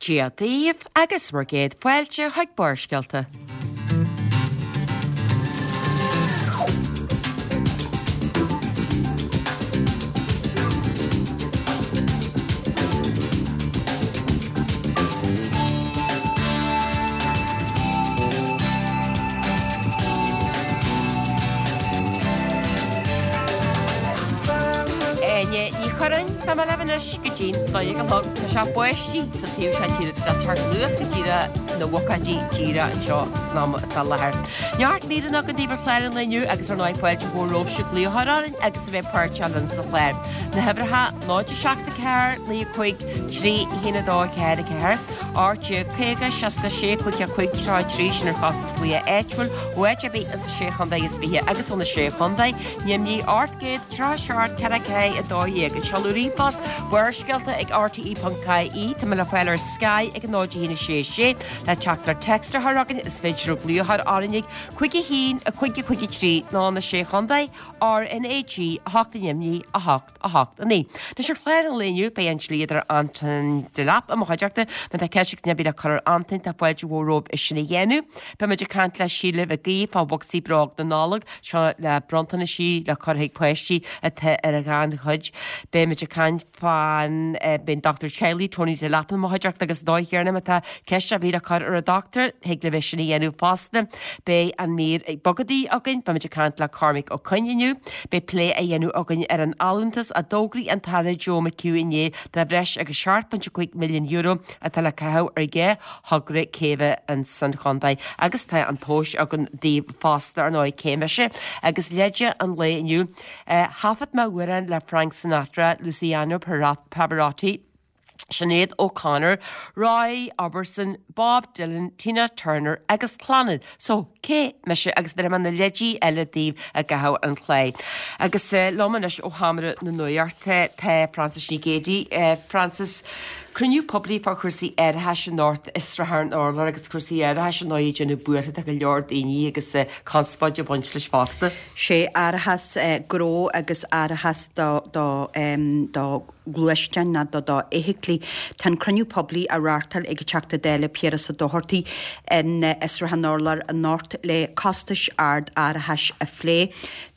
Dia daoibh agus bhur gcéad fáilte chuig Barrscéalta. Áine Ní Churráin, Tá mé libh anois go dtí'n 12 a chlog. Tá sé ag báistí sa taobh seo tíre, tá sé ag teacht anuas go díreach na bhocáidí díreach anseo san am atá i láthair. Neart míreanna againn daoibh ar chlár an lae inniu agus ar ndóigh fáilte mhór romhaibhse glaoch a chur orainn agus a bheith páirteach linn sa chlár. Na huimhreacha 0 7 4 9 5 3 1 2 4 4 18 50 66 5 5 33 sin ar chostas glaoch áitiúil ó áit ar bith insa sé chontae is 20 agus ó na sé chontae Nimhní 837 4 4 12 An seoladh ríomhphost, Barrscéalta ag rte.ie Tá mé le fáil ar Sky ag 0 1 6 6 Le teachtaireacht téacs a chur chugainn is féidir glaoch a chur orainn ag 5 1 5 5 3 nó na Sé Chontae RnaG 8 i nDoimní 8 8 9. Anois ar chlár an lae inniu beidh an dlíodóir Antain Delap i mo chuideachta. Má tá ceist ag duine ar bith le cur ar Antain tá fáilte mhór romhaibh é sin a dhéanamh. Beidh muid ag caint le Síle Mhic Aoidh fá bhocsaí bróg na Nollag, seo le bronntanaisí le cur chuig páistí atá ar an ghannchuid. Beidh muid ag caint fán, beidh an dochtúir teaghlaigh Tony Delap i mo chuideachta agus dóigh chéanna má tá ceist ar bith le cur ar an dochtúir, thig libh é sin a dhéanamh fosta. Beidh an mír bogadaí againn, beidh muid ag caint le Cormac Ó Coinn inniu. Beidh plé á dhéanamh againn ar an allúntas a d'fhógraigh an tAire Joe McHugh inné de bhreis agus €7.5 milliún atá le caitheamh ar dhá thogra céibhe insan chontae agus tá an tomhas againn daoibh fosta ar ndóigh cé mise agus leide an lae inniu. Thaifead mé amhrán le Frank Sinatra, Luciano Pavarotti, Sinéad O'Connor, Roy Orbison, Bob Dylan, Tina Turner agus Clannad. So, cé mise agus bhéarfaidh mé na leidí eile daoibh i gcaitheamh an chláir. Agus liom anois ó Sheomra na Nuachta tá Frances Ní Ghéidigh. Frances, cruinniú poiblí fá chúrsaí árachais anocht i Sruthán an Urláir agus cúrsaí árachais ar ndóigh ag déanamh buartha do go leor daoine agus conspóid ag baint leis fosta. Sé árachas gnó agus árachas do do do ghluaisteáin ná do do fheithiclí. Tá an cruinniú poiblí á reáchtáil ag an Teachta Dála Piaras Ó Dochartaigh in Sruth an Urláir anocht le costais ard árachais a phlé.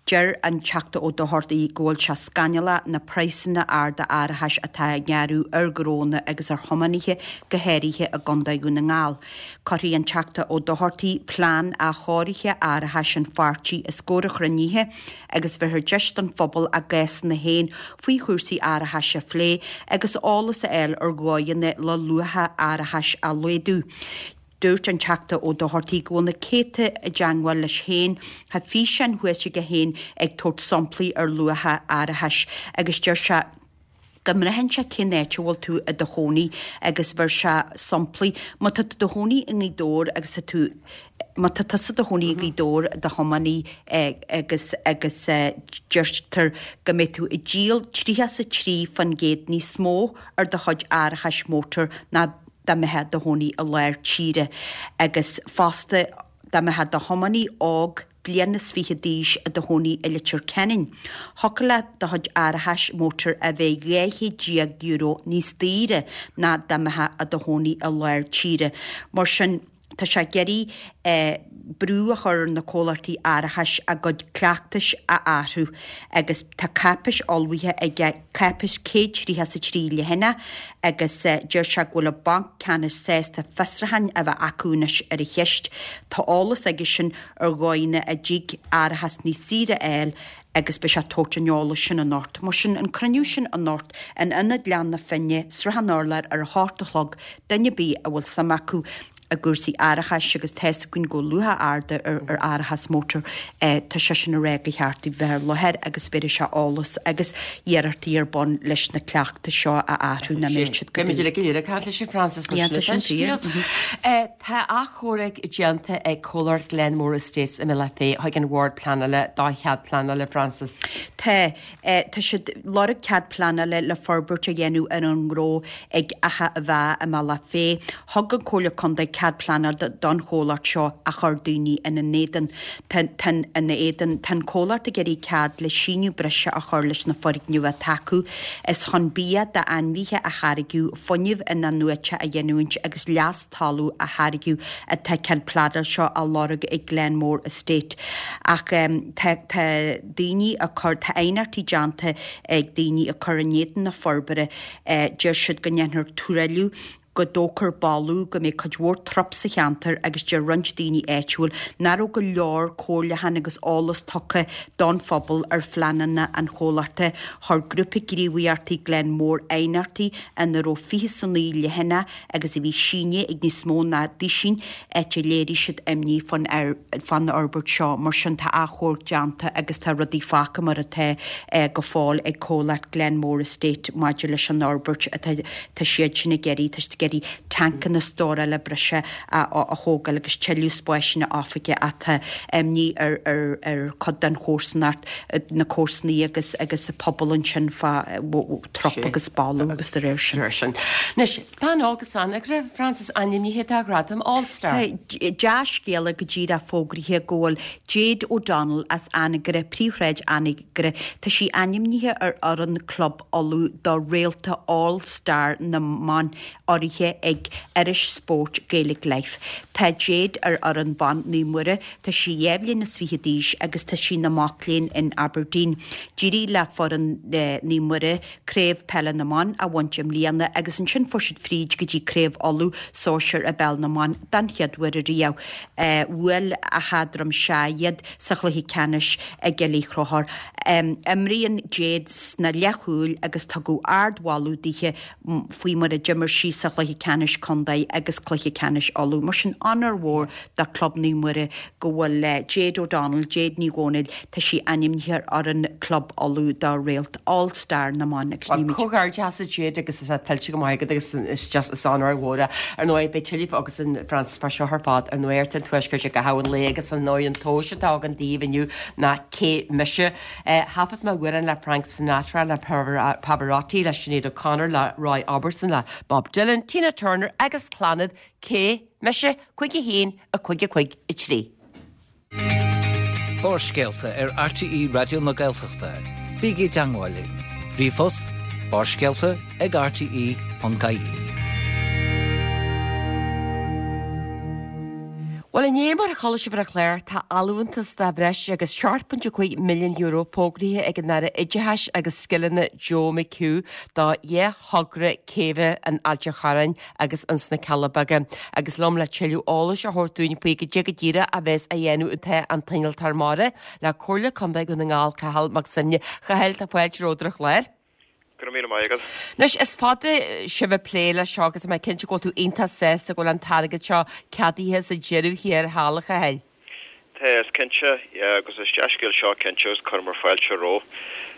Deir an Teachta Ó Dochartaigh go bhfuil sé scannalach na praghsanna arda árachais atá á ngearradh ar ghnónna agus ar thiománaithe go háirithe i gContae Dhún na nGall. Cuirfidh an Teachta Ó Dochartaigh plean athchóirithe árachais an pháirtí os comhair an chruinnithe agus bhéarfar deis don phobal a gcásanna féin faoi chúrsaí árachais a phlé agus eolas a fháil ar dhóigheanna le luacha árachais a laghdú. Dúirt an Teachta Ó Dochartaigh go bhfuil na céadta i dteangmháil leis féin, tá físeáin thuas aige féin ag tabhairt samplaí ar luacha árachais agus deir sé go mbraitheann sé cén áit a bhfuil tú i do chónaí agus bheir sé samplaí, má tá tú i do chónaí i nGaoth Dobhair agus tá tú, má tá tusa i do chónaí i nGaoth Dobhair i do thiománaí agus agus deirtear go mbeidh tú ag díol 33% níos mó ar do chuid árachais mótair ná dá mbeifeá i do chónaí i lár tíre agus fosta dá mbeifeá i do thiománaí óg bliain is fiche d'aois i do chónaí i Leitir Ceanainn. Thiocfadh leat do chuid árachais mótair a bheith €12 níos daoire ná dá mbeifeá i do chónaí i lár tíre. Mar sin, tá sé ag iarraidh brú a chur ar na comhlachtaí árachais a gcuid cleachtais a athrú agus tá cáipéis ullmhaithe aige, cáipéis 133 leathanach agus deir sé go bhfuil an Banc Ceannais sásta fiosrúcháin a bheith acu anois ar an cheist. Tá eolas aigesean ar dhóigheanna a dtig árachas níos saoire a fháil agus beidh sé ag tabhairt an eolais sin anocht. Mar sin, an cruinniú sin anocht in Ionad Ghleann na Finne, Sruth an Urláir ar a hocht a chlog, duine ar bith a bhfuil suim acu i gcúrsaí árachais agus tá's againn go bhfuil luacha arda ar árachas mótair, tá seisean ag rá gur cheart daoibh bheith ar láthair agus bhéarfaidh sé eolas agus iarrachtaí ar bun leis na cleachtais seo a athrú nach mbeadh siad go Beidh muid uilig go léir ag caint leis an Frances mar sin atá an scéal. Tá achomharc déanta ag comhlacht Glenmore Estates i mBealach Féich chuig an Bhord Pleanála do chead pleanála, Frances. Tá. Tá siad ag lorg cead pleanála le forbairt a dhéanamh ar an ngnó ag Achadh an Mheá i mBealach Féich. Thug an Comhairle Contae cead. cead pleanála don chomhlacht seo a chuir daoine ina n-éadan. Tá ina éadan. Tá an comhlacht ag iarraidh cead le síneadh breise a chur leis na foirgnimh atá acu. Is chun bia d'ainmhithe a tháirgeadh, fuinneamh in-athnuaite a ghiniúint agus leas talún a tháirgeadh atá cead pleanála seo á lorg ag Glenmore Estate. Ach tá tá daoine ag cur, tá aighneachtaí déanta ag daoine ag cur in éadan na forbartha. Deir siad go ndéanfar truailliú, go dtógfar boladh, go mbeidh cuid mhór trup sa cheantar agus deir roinnt daoine áitiúil nach raibh go leor comhairliúchán agus eolas tugtha don phobal ar phleananna an chomhlachta. Chuir grúpa gníomhaíochtaí Glenmore aighneachtaí ina raibh 29 leathanach agus a bhí sínithe ag níos mó ná duisín áit a léirigh siad imní fán fhorbairt seo. Mar sin tá achomharc déanta agus tá rudaí fágtha mar atá go fóill ag comhlacht Glenmore Estate maidir leis an fhorbairt atá tá siad sin ag iarraidh, tá siad ag iarraidh tancanna stórála breise a thógáil agus tuilleadh spáiseanna oifige ach tá imní ar ar chuid den chomharsanacht, na comharsanaí agus agus an pobal ansin fá trup agus boladh agus de réir sin. Anois, Tá bean óg as Anagaire, Frances, ainmnithe do ghradam All Star. Tá dea-scéala go díreach fógraithe go bhfuil Jade O'Donnell as Anagaire, Príomhshráid Anagaire, tá sí ainmnithe ar fhoireann Club Uladh do Réalta All Star na mBan urraithe ag iris spóirt Gaelic Life. Tá Jade ar fhoireann ban Naomh Muire, tá sí 22 bhliain is d'aois agus tá sí ina mac léinn in Aberdeen. D'éirigh le foireann Naomh Muire Craobh Peile na mBan a bhaint i mbliana agus ansin fuair siad fríd go dtí Craobh Uladh Sóisir i bPeil na mBan den chéad uair ariamh. Bhuail Achadh Droim Sea iad sa chluiche ceannais i gCill Uí Chonchúir. Imríonn Jade sna leathchúil agus tugadh ard-mholadh dithe faoi mar a d'imir sí sa chluiche ceannais contae agus cluiche ceannais Uladh. Mar sin, onóir mhór do Club Naomh Muire go bhfuil Jade O'Donnell, Jade Ní Dhomhnaill, tá sí ainmnithe ar fhoireann Club Uladh do Réalt All Star na mBan agus Bhuel, comhghairdeas a Jade agus tá sé tuillte go maith agat agus is just is onóir mhór é. Ar ndóigh, beidh tuilleadh agus an Frances fá seo ar fad ar Nuacht an Tuaiscirt i gcaitheamh an lae agus ar ndóigh an tomhas atá againn daoibh inniu ná cé mise? Thaifead mé amhrán le Frank Sinatra, le Pavarotti, le Sinéad O'Connor, le Roy Orbison, le Bob Dylan, Tina Turner agus Clannad, cé mise? 5 1 5 5 3. Barrscéalta ar RTÉ Raidió na Gaeltachta. Bígí i dteangmháil linn. Ríomhphost, barrscéalta ag rte.ie. Bhuel, inné, mar a chuala sibh ar an chlár, tá allúntas de bhreis agus €7.5 milliún fógraithe ag an Aire Oideachais agus Scileanna Joe McHugh do dheich thogra céibhe in Ailt an Chorráin agus ins na Cealla Beaga. Agus liom le tuilleadh eolais a thabhairt dúinn faoi goidé go díreach a bheas á dhéanamh tá an t-innealtóir mara le Comhairle Contae Dhún na nGall, Cathal Mac Suibhne. A Chathail, tá fáilte romhat ar an chlár. Go raibh míle maith agat. Anois, is fada sibh ag plé leis seo agus tá mé cinnte go bhfuil tú iontach sásta go bhfuil an t-airgead seo ceadaithe sa deireadh thiar thall, a Chathail. Tá, is cinnte, yeah, agus is dea-scéal seo cinnte agus cuireamar fáilte roimhe.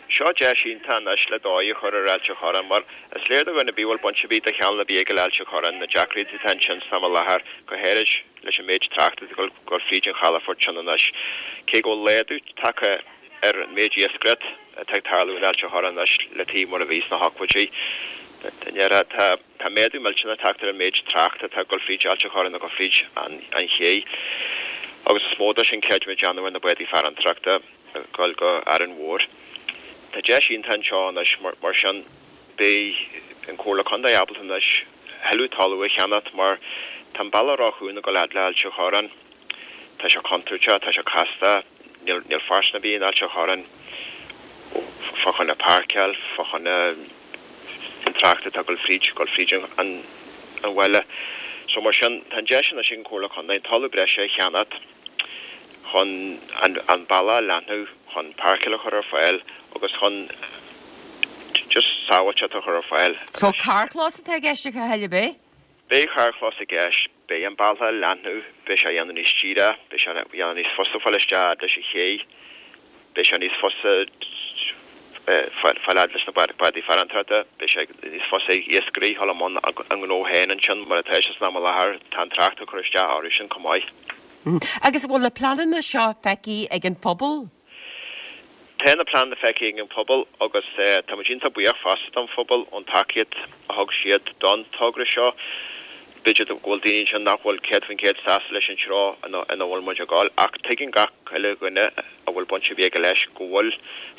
Seo deis iontach anois le dóigh a chur ar Ailt an Chorráin mar is léir do dhuine ar bith a bhfuil baint ar bith de cheann ar bith aige le Ailt an Chorráin na deacrachtaí atá ansin san am i láthair, go háirid leis an méid tráchta atá ag dul fríd an chalafort sin anois. Cé go bhfuil laghdú tagtha ar an méid iascaireacht atá ag tarlú in Ailt an Chorráin anois le taobh mar a bhí sna hochtóidí, tá. Tá méadú millteanach tagtha ar an méid tráchta atá ag dul fríd Ailt an Chorráin agus fríd an ché agus is mó de sin creidimid déanamh ar na bádaí farantóireachta ag dul go Árainn Mhór. Tá deis iontach anseo anois mar sin beidh an Comhairle Contae ábalta anois thuilleadh talamh a cheannacht mar tá an bealach ró-chúng ag dul fhad le Ailt an Chorráin. Tá sé contúirteach, tá sé casta, níl phearsan ar bith in Ailt an Chorráin fá choinne páirceáil, fá choinne an trácht atá ag dul fríd, dul fríd an bhaile. So mar sin, tá an deis anois ag an Chomhairle Contae talamh breise a cheannacht chun an bealach a leathnú, chun páirceáil a chur ar fáil agus chun just sábháilteacht a chur ar fáil. So carrchlós atá i gceist a Chathail, ab é? Beidh carrchlós i gceist, beidh an bealach á leathnú, beidh sé á dhéanamh níos díre, beidh sé á dhéanamh níos fusa fáil isteach fhad leis an ché, beidh sé níos fusa fáil fhad leis na bádaí farantóireachta, beidh sé níos fusa ag iascairí dhul i mbun a ngnó féin ansin mar atá sé san am i láthair, tá an trácht ag cur isteach orthu sin chomh maith. Agus an bhfuil na pleananna seo feicthe ag an phobal? Tá na pleananna feicthe ag an phobal agus tá muid iontach buíoch fosta don phobal ón tacaíocht a thug siad don togra seo. B'fhéidir go bhfuil daoine ansin nach bhfuil 100% sásta leis an treo ina bhfuil muid ag dul, ach tuigeann gach uile dhuine a bhfuil baint ar bith aige leis go bhfuil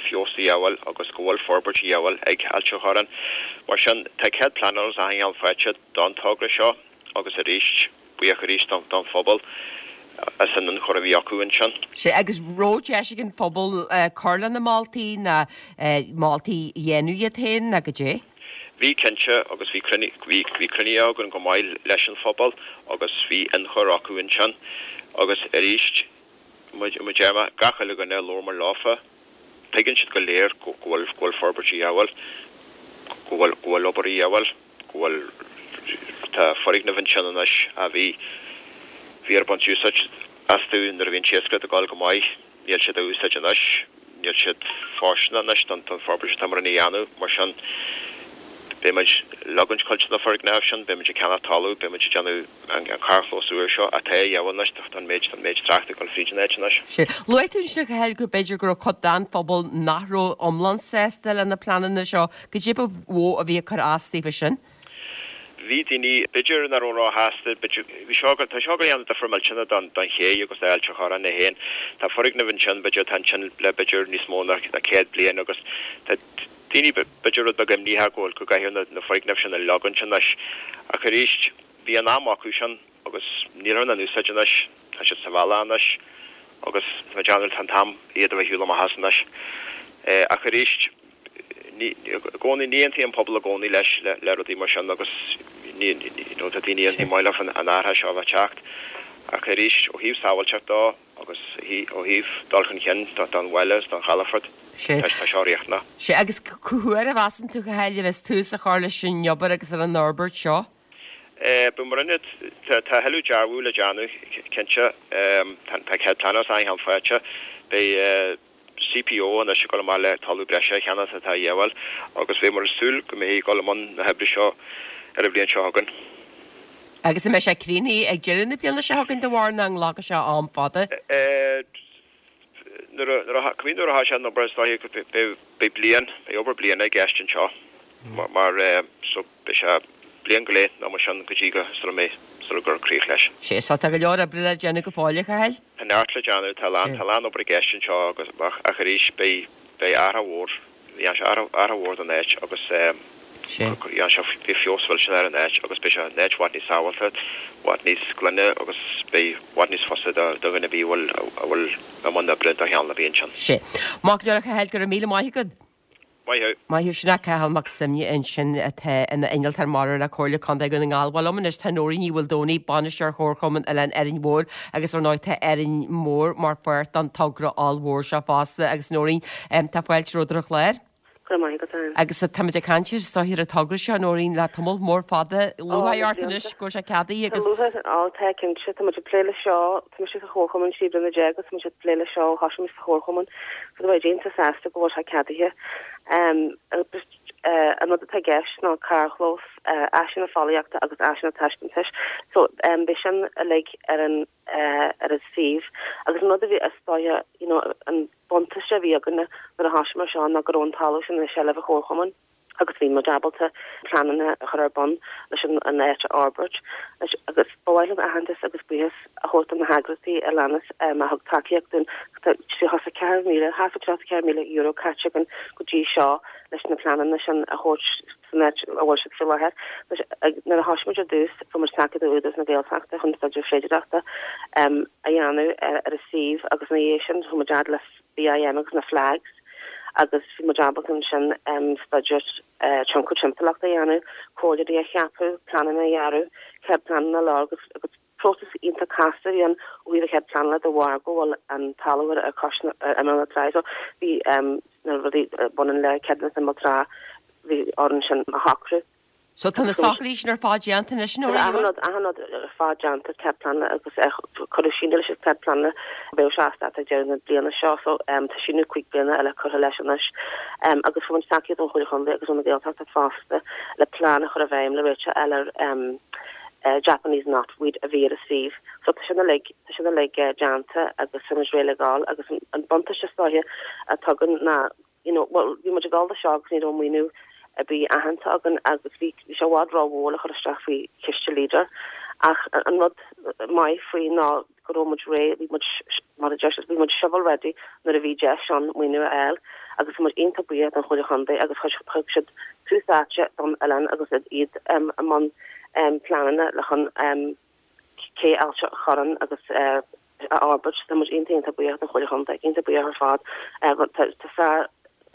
feabhas a dhíobháil agus go bhfuil forbairt a dhíobháil ag Ailt an Chorráin. Mar sin, tá cead pleanála is achan cheann faighte don togra seo agus arís, buíoch arís don phobal as an ionchur a bhí acu ansin. Sea, agus raibh deis ag an phobal cur lena moltaí ná moltaí a dhéanamh iad féin ná goidé? Bhí, cinnte, agus bhí bhí bhí cruinnithe againn go maith leis an phobal agus bhí ionchur acu ansin. Agus arís, mar a deir mé, gach uile dhuine a labhair muid leofa, tuigeann siad go léir go bhfuil go bhfuil forbairt a dhíobháil, go bhfuil go bhfuil obair a dhíobháil, go bhfuil tá foirgnimh ansin anois a bhí bhí ar baint úsáid astu nuair a bhí an t-iascaireacht ag dul go maith. Níl siad á úsáid anois, níl siad fóirsteanach anois don forbairt atá muid a dhéanamh, mar sin beidh muid ag leagaint cuid de na foirgnimh sin, beidh muid ag ceannach talamh, beidh muid ag déanamh an carrchlós úr seo atá a dhíobháil anois don méid don méid tráchta ag dul fríd an áit anois. Sea. Luaigh tú ansin a Chathail go b'fhéidir go raibh cuid den phobal nach raibh iomlán sásta le na pleananna seo. Goidé ba mhó a bhí ag cur as daofa sin? Bhí daoine, b'fhéidir, nach raibh róshásta, b'fhéidir, bhí seo, tá seo ag déanamh difear millteanach don, don ché agus d'Ailt an Chorráin é féin. Tá foirgnimh ansin, b'fhéidir, atá ansin le b'fhéidir níos mó ná 100 bliain agus tá daoine, b'fhéidir, rud beag imníoch go bhfuil, go gcaithfear na, na foirgnimh sin a leagaint anois. Ach arís, bhí an am acu sin agus nílthear ina n-úsáid anois, tá siad sa bhealach anois agus tá mé ag déanamh, tá an t-am iad a bheith ar shiúl amach as anois. Ach arís, ní, i gcónaí, ní aontaíonn an pobal i gcónaí leis, le rudaí mar sin agus ní, you know, tá daoine aontaíonn maith leo an athrach seo a bheith ag teacht. Ach arís, ó thaobh sábháilteacht dó agus ó thaobh dul chun cinn don bhaile agus don chalafort, tá seo riachtanach. Sea, agus cá huair a mheasann tú, a Chathail, a bheas tús á chur leis an obair agus ar an fhorbairt seo? Beidh mar ionad, tá a thuilleadh dearbhú le déanamh, cinnte. Tá cead pleanála is achan cheann faighte. Beidh. CPO anois ag dul amach le talamh breise a cheannach atá a dhíobháil agus beidh muid ag súil go mbeifí ag dul i mbun na hoibre seo ar an bhliain seo chugainn. Agus an mbeidh sé críochnaithe ag deireadh na bliana seo chugainn do bharúil nó an nglacfaidh sé am fada? Nuair a, cibé nuair a thosaíonn an obair is dóiche go beidh bliain, beidh obair bliana i gceist anseo mar so Beidh sé bliain go leith nó mar sin go dtí go sula mbeidh, sula gcuirfear críoch leis. Sea, so tá go leor oibre le déanamh go fóill, a Chathail. Tá neart le déanamh, tá a lán, tá a lán obair i gceist anseo agus, ach, ach arís, beidh, beidh athrach mhór, dhéanfaidh sé athrach, athrach mhór don áit agus eh, Sea. dhéanfaidh sé, beidh feabhas millteanach ar an áit agus beidh sé an áit i bhfad níos sábháilte, i bhfad níos glaine agus beidh i bhfad níos fusa do, do dhuine ar bith a bhfuil, a bhfuil i mbun oibre do cheann ar bith ansin. Sea. Maith go leor, a Chathail, go raibh míle maith agat. Maith thú. Maith thú. Sin é Cathal Mac Suibhne ansin atá ina innealtóir mara le Comhairle Contae Dhún na nGall. Bhuel liom anois tá Nóirín Ní Mhaoldomhnaigh, Bainisteoir Chomharchumann Oileán Árainn Mhór agus ar ndóigh tá Árainn Mhór mar pháirt den togra ollmhór seo fosta agus Nóirín, tá fáilte romhat ar an chlár. Go raibh maith agat, Ann. Agus táimid ag caint ar is dóiche ar an togra seo, Nóirín, le tamall mór fada. Lúcháir ort anois go bhfuil sé ceadaithe agus. Tá lúcháir, á, tá cinnte. Tá muid ag plé leis seo, tá mise sa chomharchumann 13 bliana agus tá muid ag plé leis seo ó thosaigh muid sa chomharchumann. So tá muid iontach sásta go bhfuil sé ceadaithe. An rud atá i gceist ná carrchlós, áiseanna fóillíochta agus áiseanna taispeántais. So beidh sin uilig ar an ar an suíomh. Agus an rud a bhí is dóiche you know an buntáiste a bhí againne nuair a thosaíomar seo ná go raibh an talamh sin i seilbh an chomharchumainn. agus bhí muid ábalta pleananna a chur ar bun leis an áit a fhorbairt. Agus ba mhaith liom aitheantas agus buíochas a thabhairt do na heagraíochtaí a leanas a thug tacaíocht dúinn. Tá €34,000, thart fá €34,000 caite againn go dtí seo leis na pleananna sin a thabhairt san áit a bhfuil siad faoi láthair. Nuair a thosaigh muid ar dtús, fuair muid tacaíocht ó Údarás na Gaeltachta chun staidéar féidearthachta a dhéanamh ar an suíomh agus ina dhiaidh sin chuaigh muid fhad le BIM agus na FLAGs agus bhí muid ábalta ansin staidéar tionchar timpeallachta a dhéanamh, comhairleoirí a cheapadh, pleananna a dhearadh, cead pleanála a lorg agus próiseas iontach casta a bhí ann ó thaobh an chead pleanála de bharr go bhfuil an talamh ar cois ar imeall na trá so bhí na rudaí a bhaineann le ceadúnas imeall trá bhí orainn sin a shocrú. So tá na socruithe sin ar fad déanta anois, Nóirín? Tá achan rud, achan rud ar fad déanta, cead pleanála agus cuireadh síneadh leis an cead pleanála, bheadh sé as dáta ag deireadh na bliana seo so tá síneadh 5 bliana eile curtha leis anois. Agus fuair muid tacaíocht ón Chomhairle Chontae agus ó na Gaeltachta fosta le plean a chur i bhfeidhm le réiteach a fháil ar Japanese knotweed a bhí ar an suíomh. So tá sin uilig, tá sin uilig déanta agus tá muid réidh le gabháil agus an buntáiste is dóiche atá againn ná you know, bhuel, bhí muid ag dul do seo agus ní raibh maoiniú. ar bith aitheanta againn agus bhí sé i bhfad ró-mhór le chur isteach faoi chiste Leader ach an rud maith faoi ná go raibh muid réidh, bhí muid, mar a deir siad, bhí muid shovel ready nuair a bhí deis ann maoiniú a fháil agus tá muid iontach buíoch don Chomhairle Chontae agus thug siad tús áite don oileán agus iad i mbun pleananna le chun cé Ailt an Chorráin agus a fhorbairt. Tá muid iontach iontach buíoch don Chomhairle Chontae, iontach buíoch ar fad. Tá sár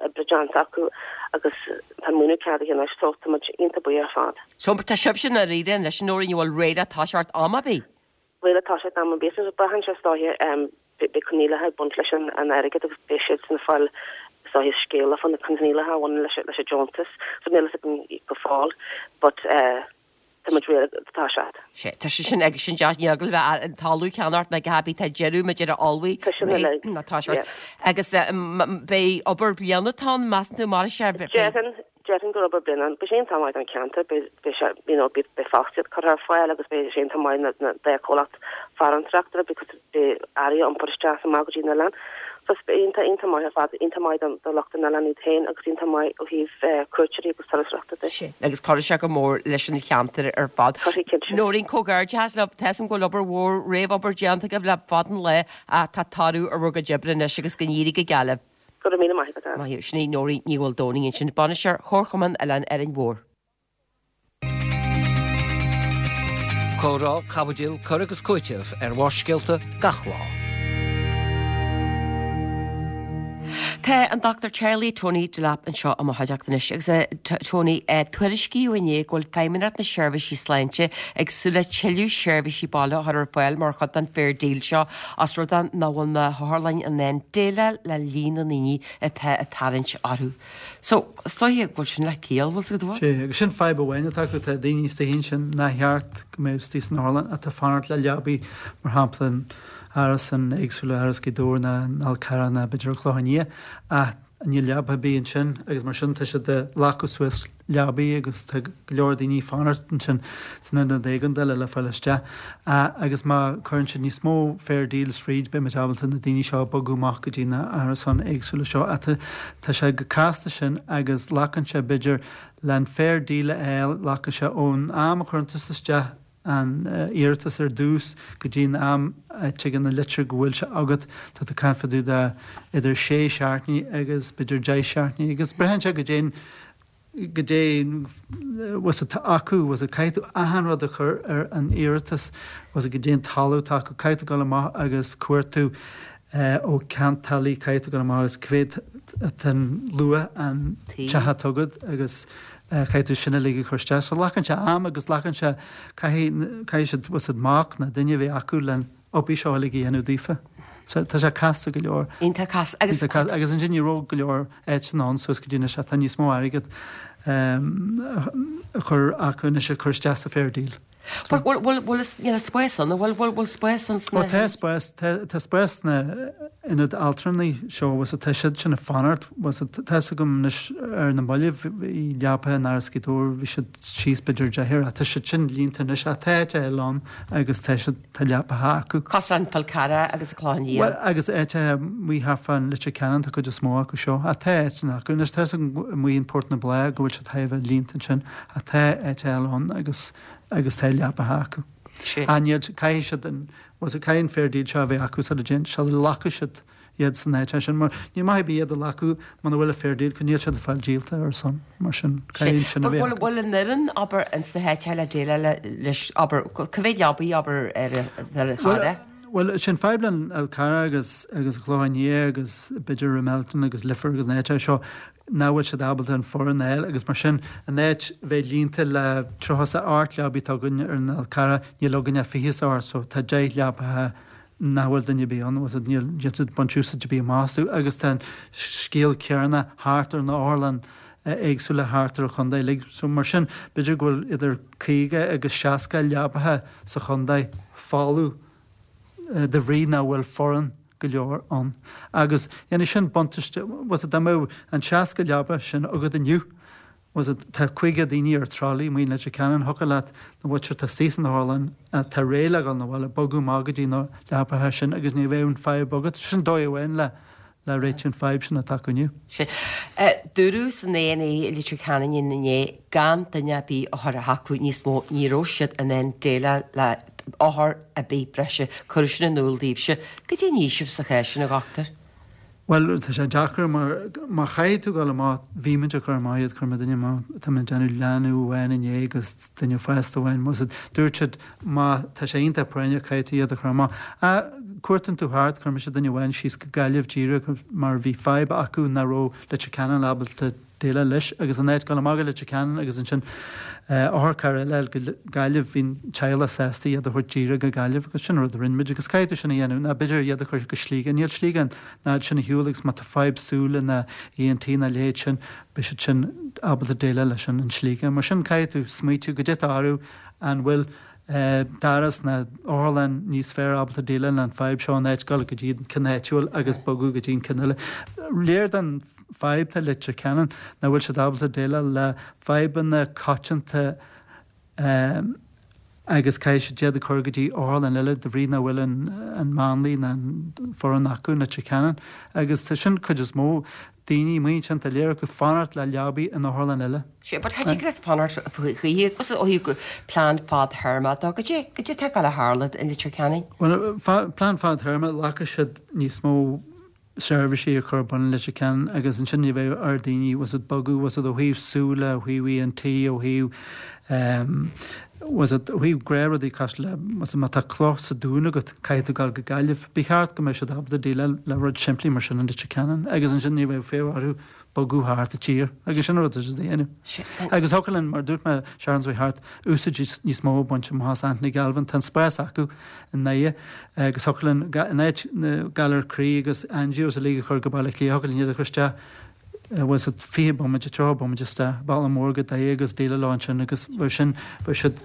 oibre déanta acu agus tá an maoiniú ceadaithe anois so tá muid iontach buíoch ar fad. So tá sibhse i ndáiríre anois, a Nóirín, an bhfuil réidh le toiseacht am ar bith? Réidh le toiseacht am ar bith. Is braitheann sé is dóiche beidh coinníollacha ag baint leis an airgead agus beidh siadsan ag fáil is dóiche scéala fá na coinníollacha a bhaineann leis an deontas. So níl a fhios againn go fóill but tá muid réidh le toiseacht. Sea, tá sé sin agus sin deas, níl eagla bheith an talamh a cheannacht ná go habaí tá deireadh muid ar a ullmhaigh Tá sin uilig, ná toiseacht. yeah. Agus beidh obair bliana atá ann, measann tú, mar is ea? Déarfainn, Déarfainn gur obair bliana. Beidh sé iontach maith don cheantar, beidh sé, you know, beidh fostaíocht curtha ar fáil agus beidh sé iontach maith na dá chomhlacht farantóireachta because beidh earraí á iompar isteach is amach go dtí an oileán. So beidh iontach, iontach maith ar fad, iontach maith don do lucht an oileáin iad féin agus iontach maith ó thaobh cuairteoirí agus turasóireachta de. Sea, agus cuirfidh sé go mór leis an cheantar ar fad. Cuirfidh, cinnte. Nóirín, comhghairdeachas libh, tá 'fhios a'm go bhfuil obair mhór, réamhobair déanta agaibh le fada an lá ach tá toradh ar bhur gcuid oibre anois agus go n-éirí go geal libh. Go raibh míle maith agat, Ann. Maith thú. Sin í Nóirín Ní Mhaoldomhnaigh ansin, Bainisteoir Chomharchumann Oileán Árainn Mhór. Comhrá, caibidil, cur agus cúiteamh ar Bharrscéalta gach lá. Tá an Dr Charlie Tony Delap anseo i mo chuideachta anois agus a Tony, tuairiscíodh inné go bhfuil Feidhmeannacht na Seirbhísí Sláinte ag súil le tuilleadh seirbhísí baile a chur ar fáil mar chuid den Fair Deal seo Os rud é nach bhfuil na hotharlanna in ann déileáil le líon na ndaoine atá ag tarraingt orthu. So, is dóiche go bhfuil sin le ciall, bhfuil 's agat, an bhfuil? Sea, agus sin fadhb amháin atá acu, tá daoine istigh ansin nár cheart go mbeadh istigh san otharlann atá ag fanacht le leabaí, mar shampla in árasáin éagsúla, Áras Ghaoth Dobhair nó an Fhál Carrach nó b'fhéidir an Clochán Liath, ach níl leaba ar bith ansin agus mar sin tá siad ag glacadh suas leabaí agus tá go leor daoine ag fanacht ansin san ionad éigeandála le fáil isteach. Agus má cuireann siad níos mó fair deals fríd beidh muid ábalta na daoine seo a bogadh amach go dtí na árasáin éagsúla seo. Ach tá sé chomh casta sin agus glacann sé b'fhéidir le an fair deal a fháil, glacann sé ón am a chuireann tusa isteach an iarratas ar dtús go dtí an am a dtigeann an litir go bhfuil sé agat, tá tú ag caint fá dtaobh de idir sé seachtainí agus b'fhéidir deich seachtainí agus braitheann sé goidé goidé bhfuil atá acu, bhfuil caithfidh tú achan rud a chur ar an iarratas, bhfuil goidé an talamh atá acu, caithfidh tú dul amach agus cuartú ó ceantálaí, caithfidh tú dul amach agus cé mhéad atá an luach an teach atá agat agus caithfidh tú sin uilig a chur isteach. So glacann sé am agus glacann sé, caithfidh, caithfidh siad, bhfuil 's agat mac nó duine a bheith acu len obair seo uilig a dhéanamh daofa. So tá sé casta go leor. Iontach casta. Agus. Iontach casta. Agus ansin ní raibh go leor áiteanna ann suas go dtí anois ach tá níos mó airgead a chur acu anois a chur isteach sa fair deal. Bhfuil, bhfuil, bhfuil, níl spás ann, bhfuil, bhfuil, bhfuil spás ann sna. Ó tá spás, tá, tá spás sna ionaid altranaí seo, bhfuil 's agat, tá siad sin ag fanacht, bhfuil 's agat, tá 'fhios agam anois ar na mallaibh, bhí leapaithe in Áras Ghaoth Dobhair, bhí siad síos b'fhéidir deichniúr ach tá siad sin líonta anois ach tá áit eile ann agus tá siad, tá leapaithe acu. Cosúil an Fál Carrach agus an Clochán Liath. Bhuel agus áiteacha amuigh thart fán Leitir Ceanainn tá cuid is mó acu seo ach tá áiteanna acu anois, tá 'fhios agam amuigh in Port na Bláth go bhfuil siad thar a bheith líonta ansin Ach tá áit eile ann agus agus tá leapaithe acu. Ach níl, caithfidh siad an, bhfuil 's agat, caithfidh an fair deal seo a bheith acu sula dtéann, sula nglacfaidh siad iad san áit sin mar níl maith ar bith iad a ghlacadh muna bhfuil an fair deal acu, níl siad ag fáil díolta ar a son, mar sin caithfidh sin a bheith acu. Bhfuil an fhoireann, abair, ins na háiteacha le déileáil leis, abair, cá mhéad leabaí, abair, ar an Charraig? Bhuel, sin fadhb le an Fhál Carrach agus agus an Clochán Liath agus b'fhéidir Ramelton agus Leifear agus na háiteacha seo, nach bhfuil siad ábalta an foireann a fháil agus mar sin an áit bheith líonta le 38 leabaí atá againn ar an Fhál Carrach, níl againn ach 28 so tá 10 leapaithe nach bhfuil duine ar bith ann, bhfuil 's agat, níl níl siad ag baint úsáid ar bith amach astu agus tá an scéal céanna thart ar na otharlann éagsúla thart ar an chontae uilig so mar sin b'fhéidir go bhfuil idir 50 agus 60 leapaithe sa chontae folamh de bhrí nach bhfuil foireann go leor ann. Agus dhéanfaidh sin buntáiste, bhfuil 's agat, dá mbeadh an 60 leaba sin agat inniu, bhfuil 's agat, tá 50 daoine ar trolley amuigh in Leitir Ceanainn, thiocfadh leat na mhuintir atá istigh san otharlann atá réidh le dhul 'na bhaile, bogadh amach go dtí na leapaithe sin agus ní bheadh an fadhb agat. Sin dóigh amháin le. le réiteach an fadhb sin atá acu inniu. Sea. Dúradh san A&E i Leitir Ceanainn inné gan duine ar bith a chur chucu níos mó, ní raibh siad in ann déileáil le othar ar bith breise. Cuireadh sin in iúl daoibhse. Goidé an fhaoiseamh sa chás sin, a dhochtúir? Bhuel, tá sé deacair mar má chaithfidh tú dul amach, bhí muid ag cur amach iad, chuir mé duine amach, tá mé ag déanamh leanbh amháin inné agus duine fásta amháin, dúirt siad má tá sé iontach práinneach caithfidh tú iad a chur amach. Ach cuartaíonn tú thart, chuir mise duine amháin síos go Gaillimh díreach mar bhí fadhb acu nach raibh Leitir Ceanainn ábalta déileáil leis agus in áit dul amach go Leitir Ceanainn agus ansin otharcharr eile a fháil go Gaillimh bhí an teaghlach sásta iad a thabhairt díreach go Gaillimh agus sin an rud a rinne muid agus caithfidh tú sin a dhéanamh nó b'fhéidir iad a chur go Sligeach. Níl Sligeach an fhad sin ar shiúl agus má tá fadhb súile ná ENT ná a leithéid sin beidh siad sin ábalta déileáil leis sin in Sligeach. Mar sin caithfidh tú smaoitiú goidé atá orthu an bhfuil doras ná otharlann níos fearr ábalta déileáil leis an fadhb seo in áit dul go dtí an ceann áitiúil agus bogadh go dtí an ceann eile. Léir don fadhb atá Leitir Ceanainn nach bhfuil siad ábalta déileáil le fadhbanna coitianta agus caithfidh siad iad a chur go dtí otharlann eile de bhrí nach bhfuil an máinlia ná an foireann acu in Leitir Ceanainn agus tá sin cuid is mó daoine amuigh ansin tá léir acu fanacht le leabaí in otharlann eile. Sea, but cha dtig leat fanacht choíche agus ó thaobh plean fadthéarma dó, goidé, goidé atá ag gabháil a tharlú i Leitir Ceanainn? Bhuel, plean fadthéarma, glacfaidh siad níos mó seirbhísí a chur ar bun i Leitir Ceanainn agus ansin ní bheidh ar daoine, bhfuil a fhios agat, bogadh, bhfuil a fhios agat, ó thaobh súile, ó thaobh ENT, ó thaobh bhfuil a fhios agat, ó thaobh gnáthrudaí cosúil le, bhfuil a fhios agat, má tá cloch sa dún agat, caithfidh tú dul go Gaillimh. Ba cheart go mbeadh siad ábalta déileáil le rud simplí mar sin i Leitir Ceanainn agus ansin ní bheadh fonn orthu bogadh thart an tír agus sin an rud atá siad a dhéanamh. Agus thiocfadh linn, mar a dúirt mé seachtain seo thart, úsáid níos mó a bhaint amach as Anthony Galvin. Tá an spás acu i nDoire agus thiocfadh linn, in áit na galair croí agus angios uilig a chur go Baile Átha Cliath, thiocfadh linn iad a chur isteach, bhfuil a fhios agat, 20 bomaite, 30 bomaite isteach, bealach mór go Doire agus déileáil leo ansin agus bheadh sin, bheadh siad,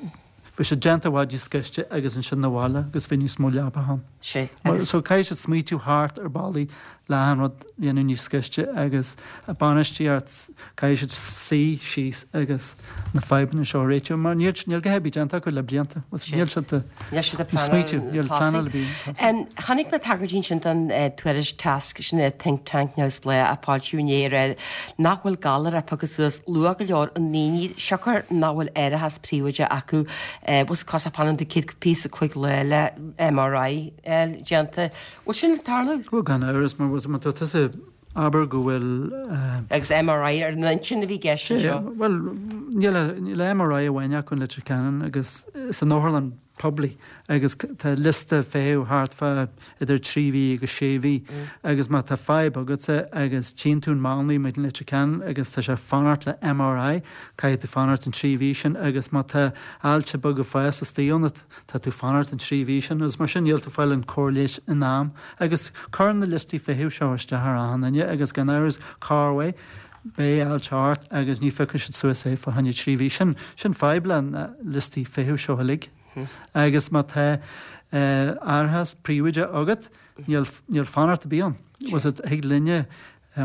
bheadh siad déanta i bhfad níos gaiste agus ansin 'na bhaile agus bheadh níos mó leapacha ann. Sea, agus. So caithfidh siad smaoitiú thart ar bealaí le an rud a dhéanamh níos gaiste agus bainistíocht, caithfidh siad suí síos agus na fadhbanna seo a réiteach mar níl, níl a dhath ar bith déanta acu le blianta. Níl siad ag Níl siad ag smaoitiú, níl pleanáil ar bith. Chonaic mé tagairt ansin don tuairisc TASC, sin é think tank neamhspleách a foilsíodh inné ag rá nach bhfuil galar á phiocadh suas luath go leor i ndaoine siocair nach bhfuil árachas príobháideach acu bhfuil cos fanann tú 125 lá le MRI déanta. Bhfuil sin ag tarlú? Bhuel gan amhras mar má tá tusa abair go bhfuil. Agus MRI ar an intinn a bhí i gceist anseo. Bhuel níl níl MRI amháin acu in Leitir Ceanainn agus san otharlann poiblí agus tá liosta feithimh thart fá idir 3 mhí agus 6 mhí agus má tá fadhb agatsa agus tchíonn tú an máinlia amuigh in Leitir Ceanainn agus tá sé ag fanacht le MRI caithfidh tú fanacht an 3 mhí sin agus má tá ailse beag ag fás istigh ionat tá tú fanacht an 3 mhí sin agus mar sin níl tú fáil an cóir leighis in am agus cuireann na liostaí feithimh seo isteach ar achan duine agus gan amhras corruair beidh ailse ort agus ní phiocfaidh siad suas é fá choinne 3 mhí. Sin sin fadhb le na liostaí feithimh seo uilig. Agus má tá árachas príobháideach agat níl níl fanacht ar bith ann. Bhfuil a fhios agat, thig linne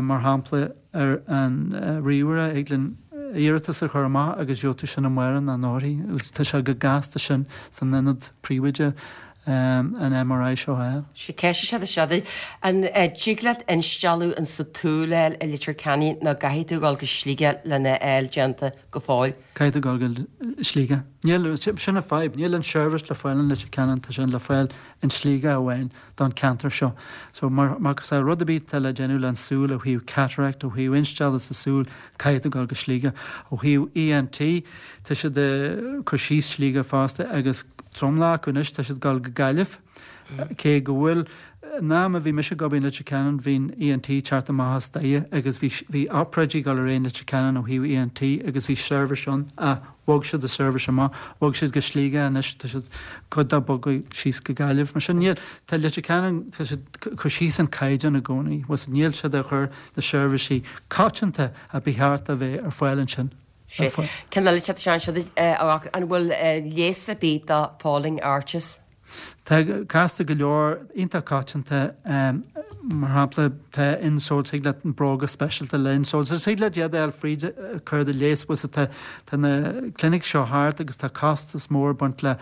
mar shampla ar an ríomhaire, thig linn iarratas a chur amach agus gheobhaidh tú sin amárach nó anóirthear agus tá sé chomh gasta sin san ionad príobháideach an MRI seo a fháil. Sé ceist is ea seo, an dtig leat instealladh in sa tsúil a fháil i Leitir Ceanainn nó gcaithfidh tú dul go Sligeach lena fháil déanta go fóill? Caithfidh tú dul go Sligeach. Níl, sin an fadhb, níl an seirbhís le fáil in Leitir Ceanainn, tá sé le fáil in Sligeach amháin don ceantar seo. So mar, mar is rud ar bith atá le déanamh le an súil ó thaobh cataract, ó thaobh instealladh sa súil, caithfidh tú dul go Sligeach. Ó thaobh ENT, tá siad ag cur síos Sligeach fosta agus tromlach acu anois, tá siad ag dul go Gaillimh. Cé go bhfuil, in am a bhí mise ag obair in Leitir Ceanainn bhí an ENT ag teacht amach as Doire agus bhí, bhí obráidí ag dul ar aghaidh in Leitir Ceanainn ó thaobh ENT agus bhí seirbhís ann ach bhog siad an seirbhís amach, bhog siad go Sligeach anois, tá siad cuid dá bogadh síos go Gaillimh. Mar sin níl, tá Leitir Ceanainn, tá siad ag cur síos an caighdeán i gcónaí, bhfuil a fhios agat, níl siad ag cur na seirbhísí coitianta a ba cheart a bheith ar fáil ansin. Sé. Ceann eile, tá sé anseo, an bhfuil leigheas ar bith do falling arches? Tá casta go leor, iontach coitianta, mar shampla tá insoles, thig leat bróga speisialta le insoles, is thig leat iad a fháil fríd cóir de leigheas, bhfuil tá tá na clinics seo thart agus tá costas mór ag baint le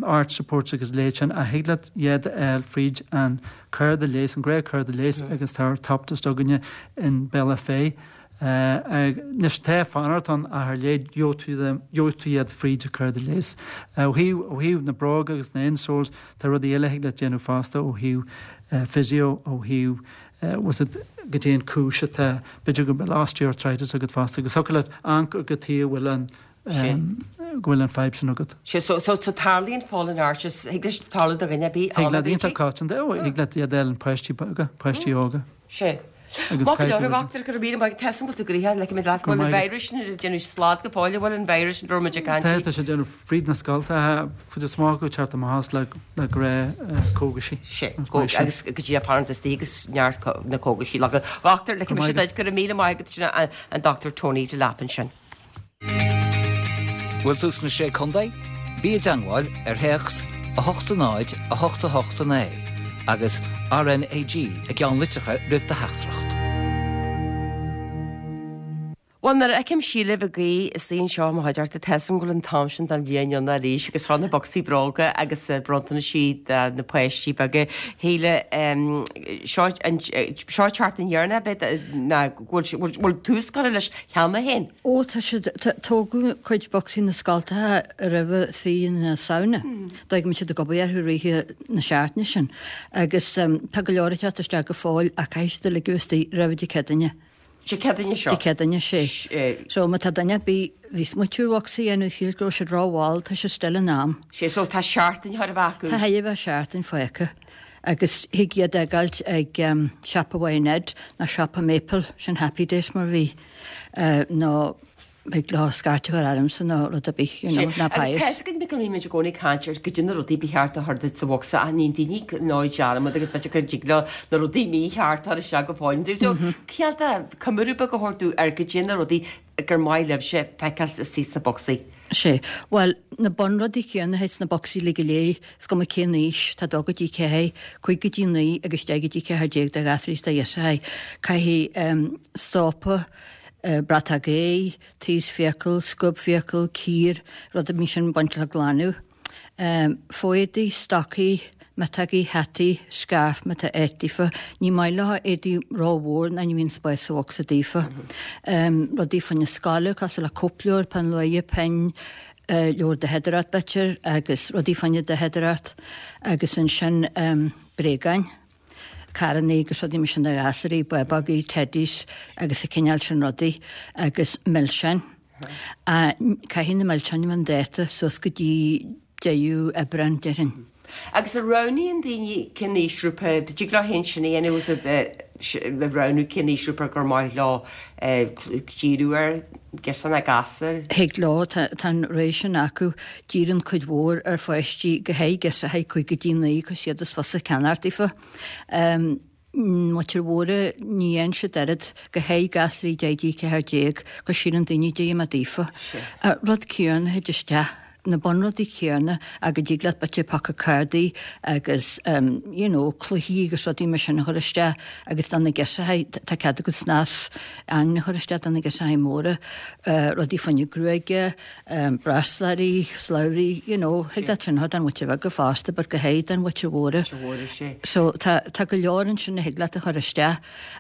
arch supports agus a leithéid sin ach thig leat iad a fháil fríd an cóir de leigheas, an gnáth cóir de leigheas agus tá orthoptist againne in Bealach Féich. Anois tá fanacht ann ach ar leith gheobhaidh tú iad fríd an cóir de leigheas. Ó thaobh ó thaobh na bróga agus na insoles tá rudaí eile a thig leat déanamh fosta ó thaobh physio ó thaobh bhfuil a fhios agat goidé an cúis atá b'fhéidir go bhfuil osteoarthritis agat fosta agus thiocfadh leat amharc ar cad chuige a bhfuil an go bhfuil an fadhb sin agat. Sea, so so so tarlaíonn fallen arches, thig leis tarlú do dhuine ar bith, Thig leat iontach coitianta, ó thig leat iad a fháil in páistí beaga, páistí óga. Sea. Maith go leor, a dhochtúir, go raibh míle maith agat. Tá a fhios agam go bhfuil tú gnoitheach, like, leat go bhfuil an virus sin ag déanamh slad go fóill, an bhfuil an virus sin a raibh muid ag caint Tá, tá sé ag déanamh fríd na scoltacha, cuid is mó acu ag teacht amach as le le gnáth cógaisí. Sea, agus go dtí apparent is agus neart na cógaisí. A dhochtúir, like, mise duit, go raibh míle maith agat sin an Dr. Tony Delap ansin. Bhfuil tú sna Sé Contae? Bí i dteangmháil ar théacs 8 0 8 8 9 agus RNAG i gceannlitreacha roimh do theachtaireacht. Bhuel, nuair a fheicim Síle Mhig Aoidh istigh anseo i mo chuideachta, tá a fhios agam go bhfuil an t-am sin den bhliain ann arís agus seo na bocsaí bróga agus bronntanasí do na páistí beaga. Shíle, seo an seo tseachtain dheireanach, ab ea, ná go bhfuil bhfuil tús curtha leis cheana féin. Ó, tá siad, tógadh cuid bocsaí na scoltacha roimhe saoire na Samhna. D'fhág muid siad ag obair orthu rith na seachtaine sin. Agus tá go leor ag teacht isteach go fóill ach caithfidh siad uilig a bheith istigh roimhe Dé Céadaoine. Dé Céadaoine seo? Dé Céadaoine, sé. So má tá duine ar bith, bhí smaoitiú ar bhocsaí a dhéanamh, shíl go raibh siad rómhall, tá sé still in am. Sé, so tá seachtain chóir a bheith acu. Tá chóir a bheith seachtain fágtha. Agus thig iad a fhágáilt ag siopa Mhaigh Nuad nó siopa Maple, sin Happy Days mar bhí, nó thig leo scairt a chur ormsa nó rud ar bith, you know, ná Pius. Agus tá a fhios againn go mbímid i gcónaí ag caint ar goidé na rudaí ba cheart a chur duit sa bhocsa ach níonn daoine nó dearmad agus b'fhéidir go dtig leo na rudaí mícheart a chur isteach go fóill. So, cineál de coimriú beag a thabhairt dúinn ar goidé na rudaí gur maith libhse feiceáil istigh sna bocsaí. Sé. Bhuel, na bunrudaí céanna atá sna bocsaí uilig go léir, is cuma cén aois, tá dó go dtí 4, 5 go dtí 9 agus 10 go dtí 14 do ghasúirí is do ghirseachaí. Caithfidh sópa, bratóg aghaidh, taos fiacal, scuab fiacal, cíor, rud ar bith sin baint le glanadh. Fo-éadaí, stocaí, miotógaí, hataí, scairf má tá áit daofa. Ní maith leo éadaí rómhór ná ní bhíonn spás sa bhocsa daofa. Rudaí fá choinne scoile cosúil le cóipleabhar, peann luaidhe, pinn, leabhar daicheadóireacht b'fhéidir agus rudaí fá choinne daicheadóireacht agus ansin bréagáin, carrannaí agus rudaí mar sin do ghasúirí, bábógaí, teddies agus an cineál sin rudaí agus milseáin. Caithfidh na milseáin a bheith chun dáta suas go dtí deireadh Aibreán, déarfainn. Agus an roghnaíonn daoine cén aoisghrúpa, an dtig leo féin sin a dhéanamh is le roghnú cén aoisghrúpa gur maith leo díriú air, girseach nó gasúr? Thig leo, tá an rogha sin acu. Díríonn cuid mhór ar pháistí, go háirithe girseachaí 5 go dtí 9, cos iad is fusa ceannacht daofa. Muintir mhóra, ní dhéanann siad oiread, go háirithe gasúirí 10 dtí 14, cos síleann daoine goidé mar daofa. Rud céanna a thit isteach, na bunrudaí céanna ach go dtig leat b'fhéidir paca cárdaí agus you know cluichí agus rudaí mar sin a chur isteach agus do na girseachaí, tá cead agat snas ingne a chur isteach do na girseachaí móra, rudaí fá choinne gruaige, Brasláirí, slabhraí, you know, thig leat sin a chur don mhuintir bheaga fosta but go háirithe don mhuintir mhóra. So tá, tá go leor ansin a thig leat a chur isteach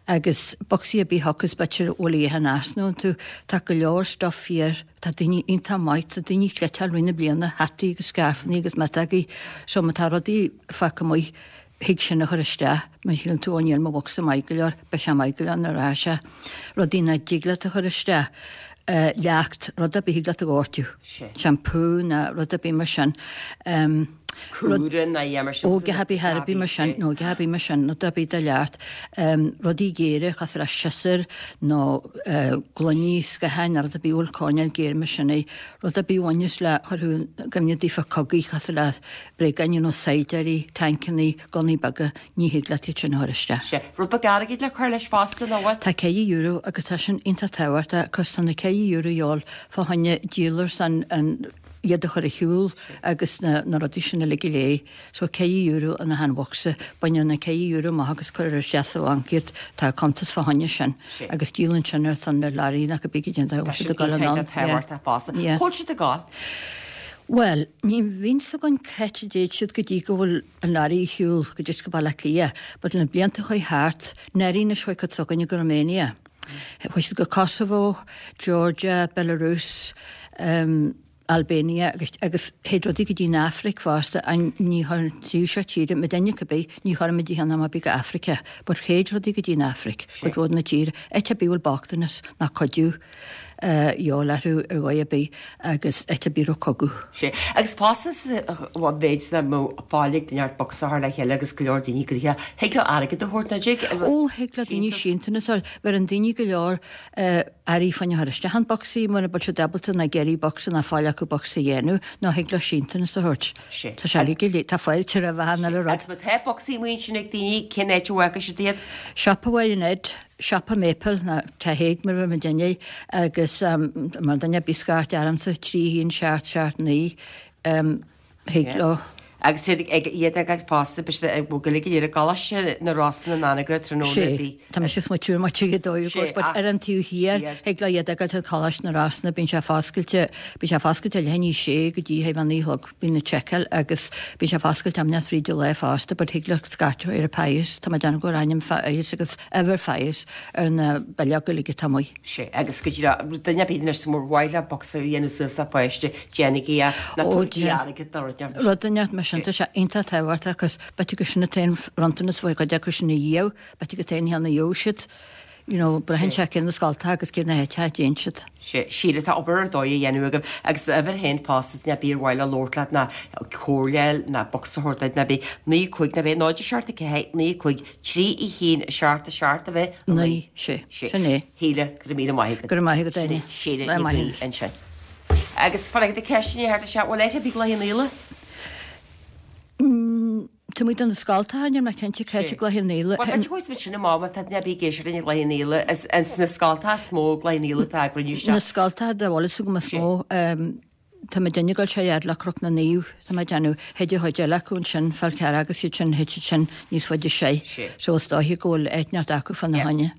agus bocsaí ar bith a thiocfas b'fhéidir a bhfuil a dhath in easnamh iontu, tá go leor stuff fíor, tá daoine iontach maith, tá daoine ag cniotáil rith na bliana, hataí agus scairfeanna agus miotógaí, so má tá rudaí fágtha amuigh, thig sin a chur isteach, má shíleann tú, ó níl mo bhocsa maith go leor, beidh sé maith go leor nuair a rachaidh sé. Rudaí nach dtig leat a chur isteach, leacht, rud ar bith thig leat a dhoirteadh, shampoo ná rud ar bith mar sin. Cúra ná a dhath mar sin. Ó, a dhath ar bith, ar bith mar sin, nó a dhath ar bith mar sin, rud ar bith de leacht. Rudaí géara cosúil le siosúr nó gloiní, scátháin nó rud ar bith a bhfuil coirnéal géar mar sin air, rud ar bith a bhaineas le chur thú i gcuimhne daofa cogaí cosúil le bréagáin nó saighdiúirí, tancannaí, gunnaí beaga, ní thig leat iad sin a chur isteach. Sea. Rud beag airgid le cur leis fosta, nó bhfuil? Tá €4 agus tá sin iontach tábhachtach cos tá na €4 a dhíobháil fá choinne díol ar son an. iad a chur ar shiúl agus na na rudaí sin uilig go léir. So €4 in achan bhocsa, baineadh na €4 amach agus cuireadh isteach sa bhanc iad, tá cuntas fá choinne sin agus díolann sin ar son na learaí nach bith go dtéann Tá siad sin ag dul iontach anonn. tábhachtach fosta. Yeah. Cá bhfuil siad ag gabháil? Bhuel, ní bhíonn 's againn c'áit a dtéid siad go dtí go bhfuil an learaí ar shiúl go dtí go Baile Átha Cliath, but na blianta a chuaigh thart, ndáiríre chuaigh cuid s'againne go Romania. Chuaigh siad go Kosovo, Georgia, Belarus, um, Albania agus agus théid rudaí go dtí an Afraic fosta an ní chuireann an taobh seo tíre, muidinne cibé, ní chuireann muid a cheann am ar bith go Africa, but théid rudaí go dtí an Afraic, cuid mhór na tíre, áit ar bith a bhfuil bochtanas ná cuidiú a dhíobháil orthu ar dhóigh ar bith agus áit ar bith a raibh cogadh. Sea, agus fosta sa mhéid is nach mbeadh fáil ag neart bocsa a chur le chéile agus go leor daoine gnoitheach, thig leo airgead a thabhairt, nach dtig? Ó, thig le daoine síntiús a fháil. Bheireann daoine go leor earraí fá choinne a chur isteach in bocsaí mura bhfuil siad ábalta ná ag iarraidh bocsa ná fáil acu bocsa a dhéanamh nó thig leo síntiús a thabhairt. Sea. Tá sé uilig go léir, tá fáilte roimh achan uile rud. Agus má tá bocsaí amuigh ansin ag daoine, cén áit a bhfágfaidh siad iad? Siopa Bhaile an Ed, Siopa Maple, ná Teach Thaidhg mar a bheir muidinne air, agus má duine ar bith scairt ormsa, 3 1 7 7 9, thig leo. Agus iad ag iad ag gabháil fosta, beidh siad ag gabháil go léir i gColáiste na Rosann in Anagaire tráthnóna Sé, a bhí. tá mise ag smaoitiú ar mo tigh dóibh, of course, but ar an taobh thiar, thig leo iad a fhágáil ag Coláiste na Rosann, bíonn sé foscailte, bíonn sé foscailte leath i ndiaidh a sé go dtí a 9 a chlog. Bíonn na seiceáil agus bíonn sé foscailte am inteacht fríd an lá fosta but thig leat scairteadh ar an Pius, tá mé ag déanamh go bhfuil ainm Pius agus uimhir Pius ar na bileoga uilig atá amuigh. Sea, agus go díreach, duine ar bith anois mura mhaith leo bocsa a dhéanamh suas le pháiste, déanaigí é, ná Ó, tabhairigí déan. airgead ná rud ar bith. Rud inteacht mar sin, tá sé iontach tábhachtach agus b'fhéidir gur sin an t-aon bhronntanas faoi chuid acu sin a dhíobh, b'fhéidir gur t-aon cheann a gheobhaidh siad. You know, braitheann sé cé na scoltacha agus cé na háiteacha a dtéann siad. Sea, Síle, tá obair ar dóigh á dhéanamh agaibh agus d'uimhir féin fosta, duine ar bith ar mhaith leo labhairt leat ná comhairle ná bocsa a thabhairt duit ná bith, 9 5 ná bith, 0 7 4 9 5 3 1 7 7 a bheith, 9, sé, sin é. Shíle, go raibh míle maith agat. Go raibh maith agat, Áine. Síle Ní Bhaoill ansin. Agus faraor na ceisteanna thart isteach, bhfuil áit ar bith i gCloich Cheann Fhaola? Tá muid do na scoltacha, níl mé cinnte cá háit i gCloich Cheann Fhaola. Bhuel, b'fhéidir go bhfaighidh muid sin amach má tá duine ar bith ag éisteacht linn i gCloich Cheann Fhaola. Is ins na scoltacha is mó i gCloich Cheann Fhaola atá ag rinne isteach. Na scoltacha dá bhfuil fhios agam is mó, tá muidinne ag dul sé fhad le Cnoc na Naomh, tá mé ag déanamh, thit an chuid eile acu ansin, Fál Carrach agus iad sin, thit siad sin níos faide soir. So is dóiche go bhfuil áit inteacht acu fá na choinne.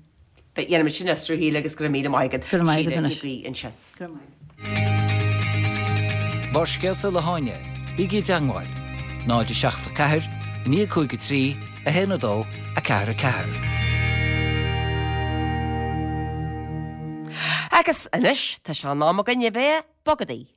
Déanfaidh muid sin a fhiosrú a Shíle agus go raibh míle maith agat. Go raibh maith agat Síle anois. Ní Bhaoill ansin. Go raibh maith agat. Barrscéalta le hÁine, bígí i dteangmháil, 0 7 4 9 5 3 1 2 4 4. Agus anois tá sé in am againn a bheith ag bogadaí.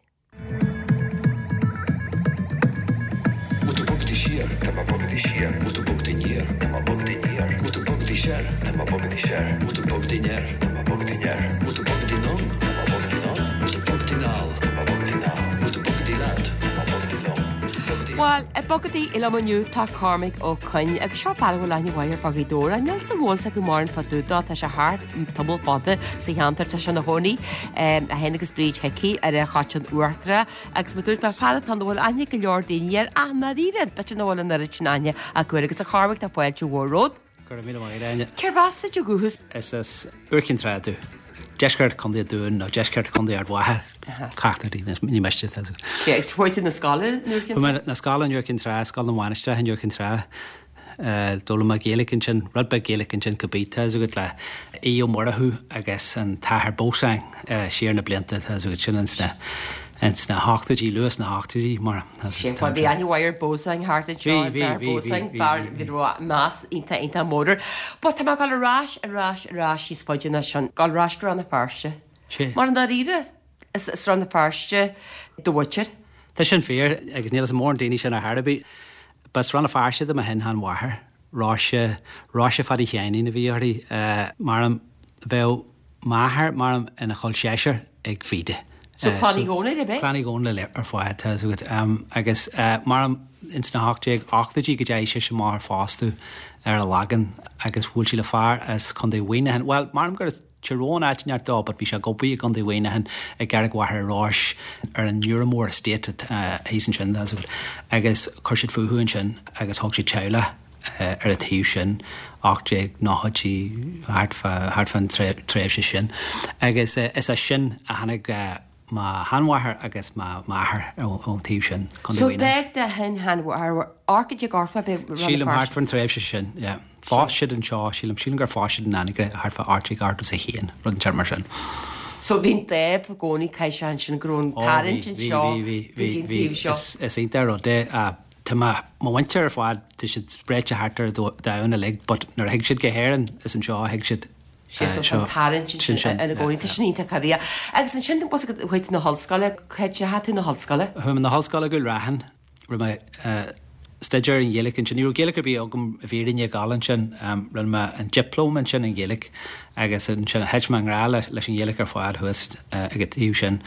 Bhfuil tú bogadaí siar? Tá mé bogadaí siar. Bhfuil tú bogadaí aniar? Tá mé bogadaí aniar. Bhfuil tú bogadaí soir? Tá mé bogadaí soir. Bhfuil tú bogadaí anoir? Tá mé bogadaí anoir. Bhfuil tú bogadaí anonn? Tá mé bogadaí anonn. Bhfuil tú bogadaí anall? Tá mé bogadaí anall. Bhfuil tú bogadaí leat? Tá mé bogadaí liom. Bhfuil tú bogadaí. Bhuel, ag bogadaí liom inniu tá Cormac Ó Coinn agus seo fear a bhfuil aithne mhaith ar fud Ghaoth Dobhair. Níl 's an bhfuil 's acu mórán fá dtaobh dó, tá sé thart tamall fada sa cheantar, tá sé ina chónaí, é féin agus Bríd Hickey ar an Choiteann Uachtarach agus mar dúirt mé, fear atá ann a bhfuil aithne ag go leor daoine air ach i ndáiríre, b'fhéidir nach bhfuil an oiread sin aithne acu air agus a Chormaic tá fáilte mhór romhat. Go raibh míle maith agat, Áine. Cérbh as duit ó dhúchas? Is as Iúr Cinn Trá domh. Deisceart Chontae an Dúin nó deisceart Chontae Ard Mhacha, ceachtar díobh, ní miste. Sea, agus fuair tú na scoile in Iúr Cinn Trá? Fuair mé na scoile in Iúr Cinn Trá, Scoil na Mainistreach in Iúr Cinn Trá. D'fhoghlaim mé Gaeilge ansin, rud beag Gaeilge ansin cibé, tá 'fhios agat le Aodh Ó Murchú agus an tAthair Beausang siar na blianta, tá 'fhios agat, sin ins na, ins na hochtóidí, luath sna hochtóidí mar. Sin, bhuel bhí aithne mhaith ar Beausang thart anseo, Bhí, an bhí, tAthair bhí, bhí, Beausang, bhí, fear bhí, a raibh meas iontach, iontach mór air. But tá mé ag dul ar ais, ar ais, ar ais níos faide ná sin, dul ar ais go Rann na Feirste. Sea. Mar i ndáiríre, is as Rann na Feirste do mhuintir. Tá sin fíor, agus níl 'fhios ag mórán daoine sin ar chor ar bith. B'as Rann na Feirste do mo shin-sheanmháthair, Róise, Róise Phadaí Sheáinín a bhí uirthi, maram, bheadh m'athair, maram, ina chol seisear ag Vida. So Clann Uí Dhónaill, ab é? Clann Uí Dhónaill ar fad, tá 'fhios agat. Agus maram, ins na 1880idí go dteachaigh sise amach ar fostú ar an Lagan agus bhuail sí le fear as Contae Mhuineacháin, bhuel, maram gur as Tír Eoghain áit inteacht dó but bhí sé ag obair i gContae Mhuineacháin i gCarraig Mhachaire Rois ar an Newromore Estate thíos ansin tá 'fhios agat agus chuir siad fúthu ansin agus thóg siad teaghlach ar an taobh sin 1890idí thart fá thart fán tréimhse sin agus is as sin a tháinig. mo sheanmháthair agus mo m'athair ón taobh sin, Contae So Mhuineáin. d'fhág do shin-sheanmháthair 1880 ab é Rann na Sílim thart fán tréimhse sin, yeah. Phós siad anseo, sílim, sílim gur phós siad in Anagaire thart fá 1881, rud inteacht mar sin. So bhí an dáimh i gcónaí caithfidh sé ansin go raibh an Ó bhí, tarraingt bhí, anseo bhí, bhí, go bhí, dtí an bhí. taobh seo. Is, is iontach an rud é. Tá mo, mo mhuintir ar fad, tá siad spréite thart ar an domhan uilig but nuair a thig siad go hÉirinn, is anseo a thig siad. Sea, so tá an tarraingt ansin ina gcónaí. Tá sin iontach, a Mhícheáil. Agus ansin, bhfuil a fhios agat, chuaigh tú na hollscoile, cá ndeachaigh tú na hollscoile? Chuaigh mé na hollscoile i gCúil Raithin. Rinne mé staidéar ar an Ghaeilge ansin. Ní raibh Gaeilge ar bith agam i bhfírinne ag gabháil ansin. Rinne mé an dioplóma ansin i nGaeilge agus ansin thit mé i ngrá leis an Ghaeilge ar fad thuas ag an taobh sin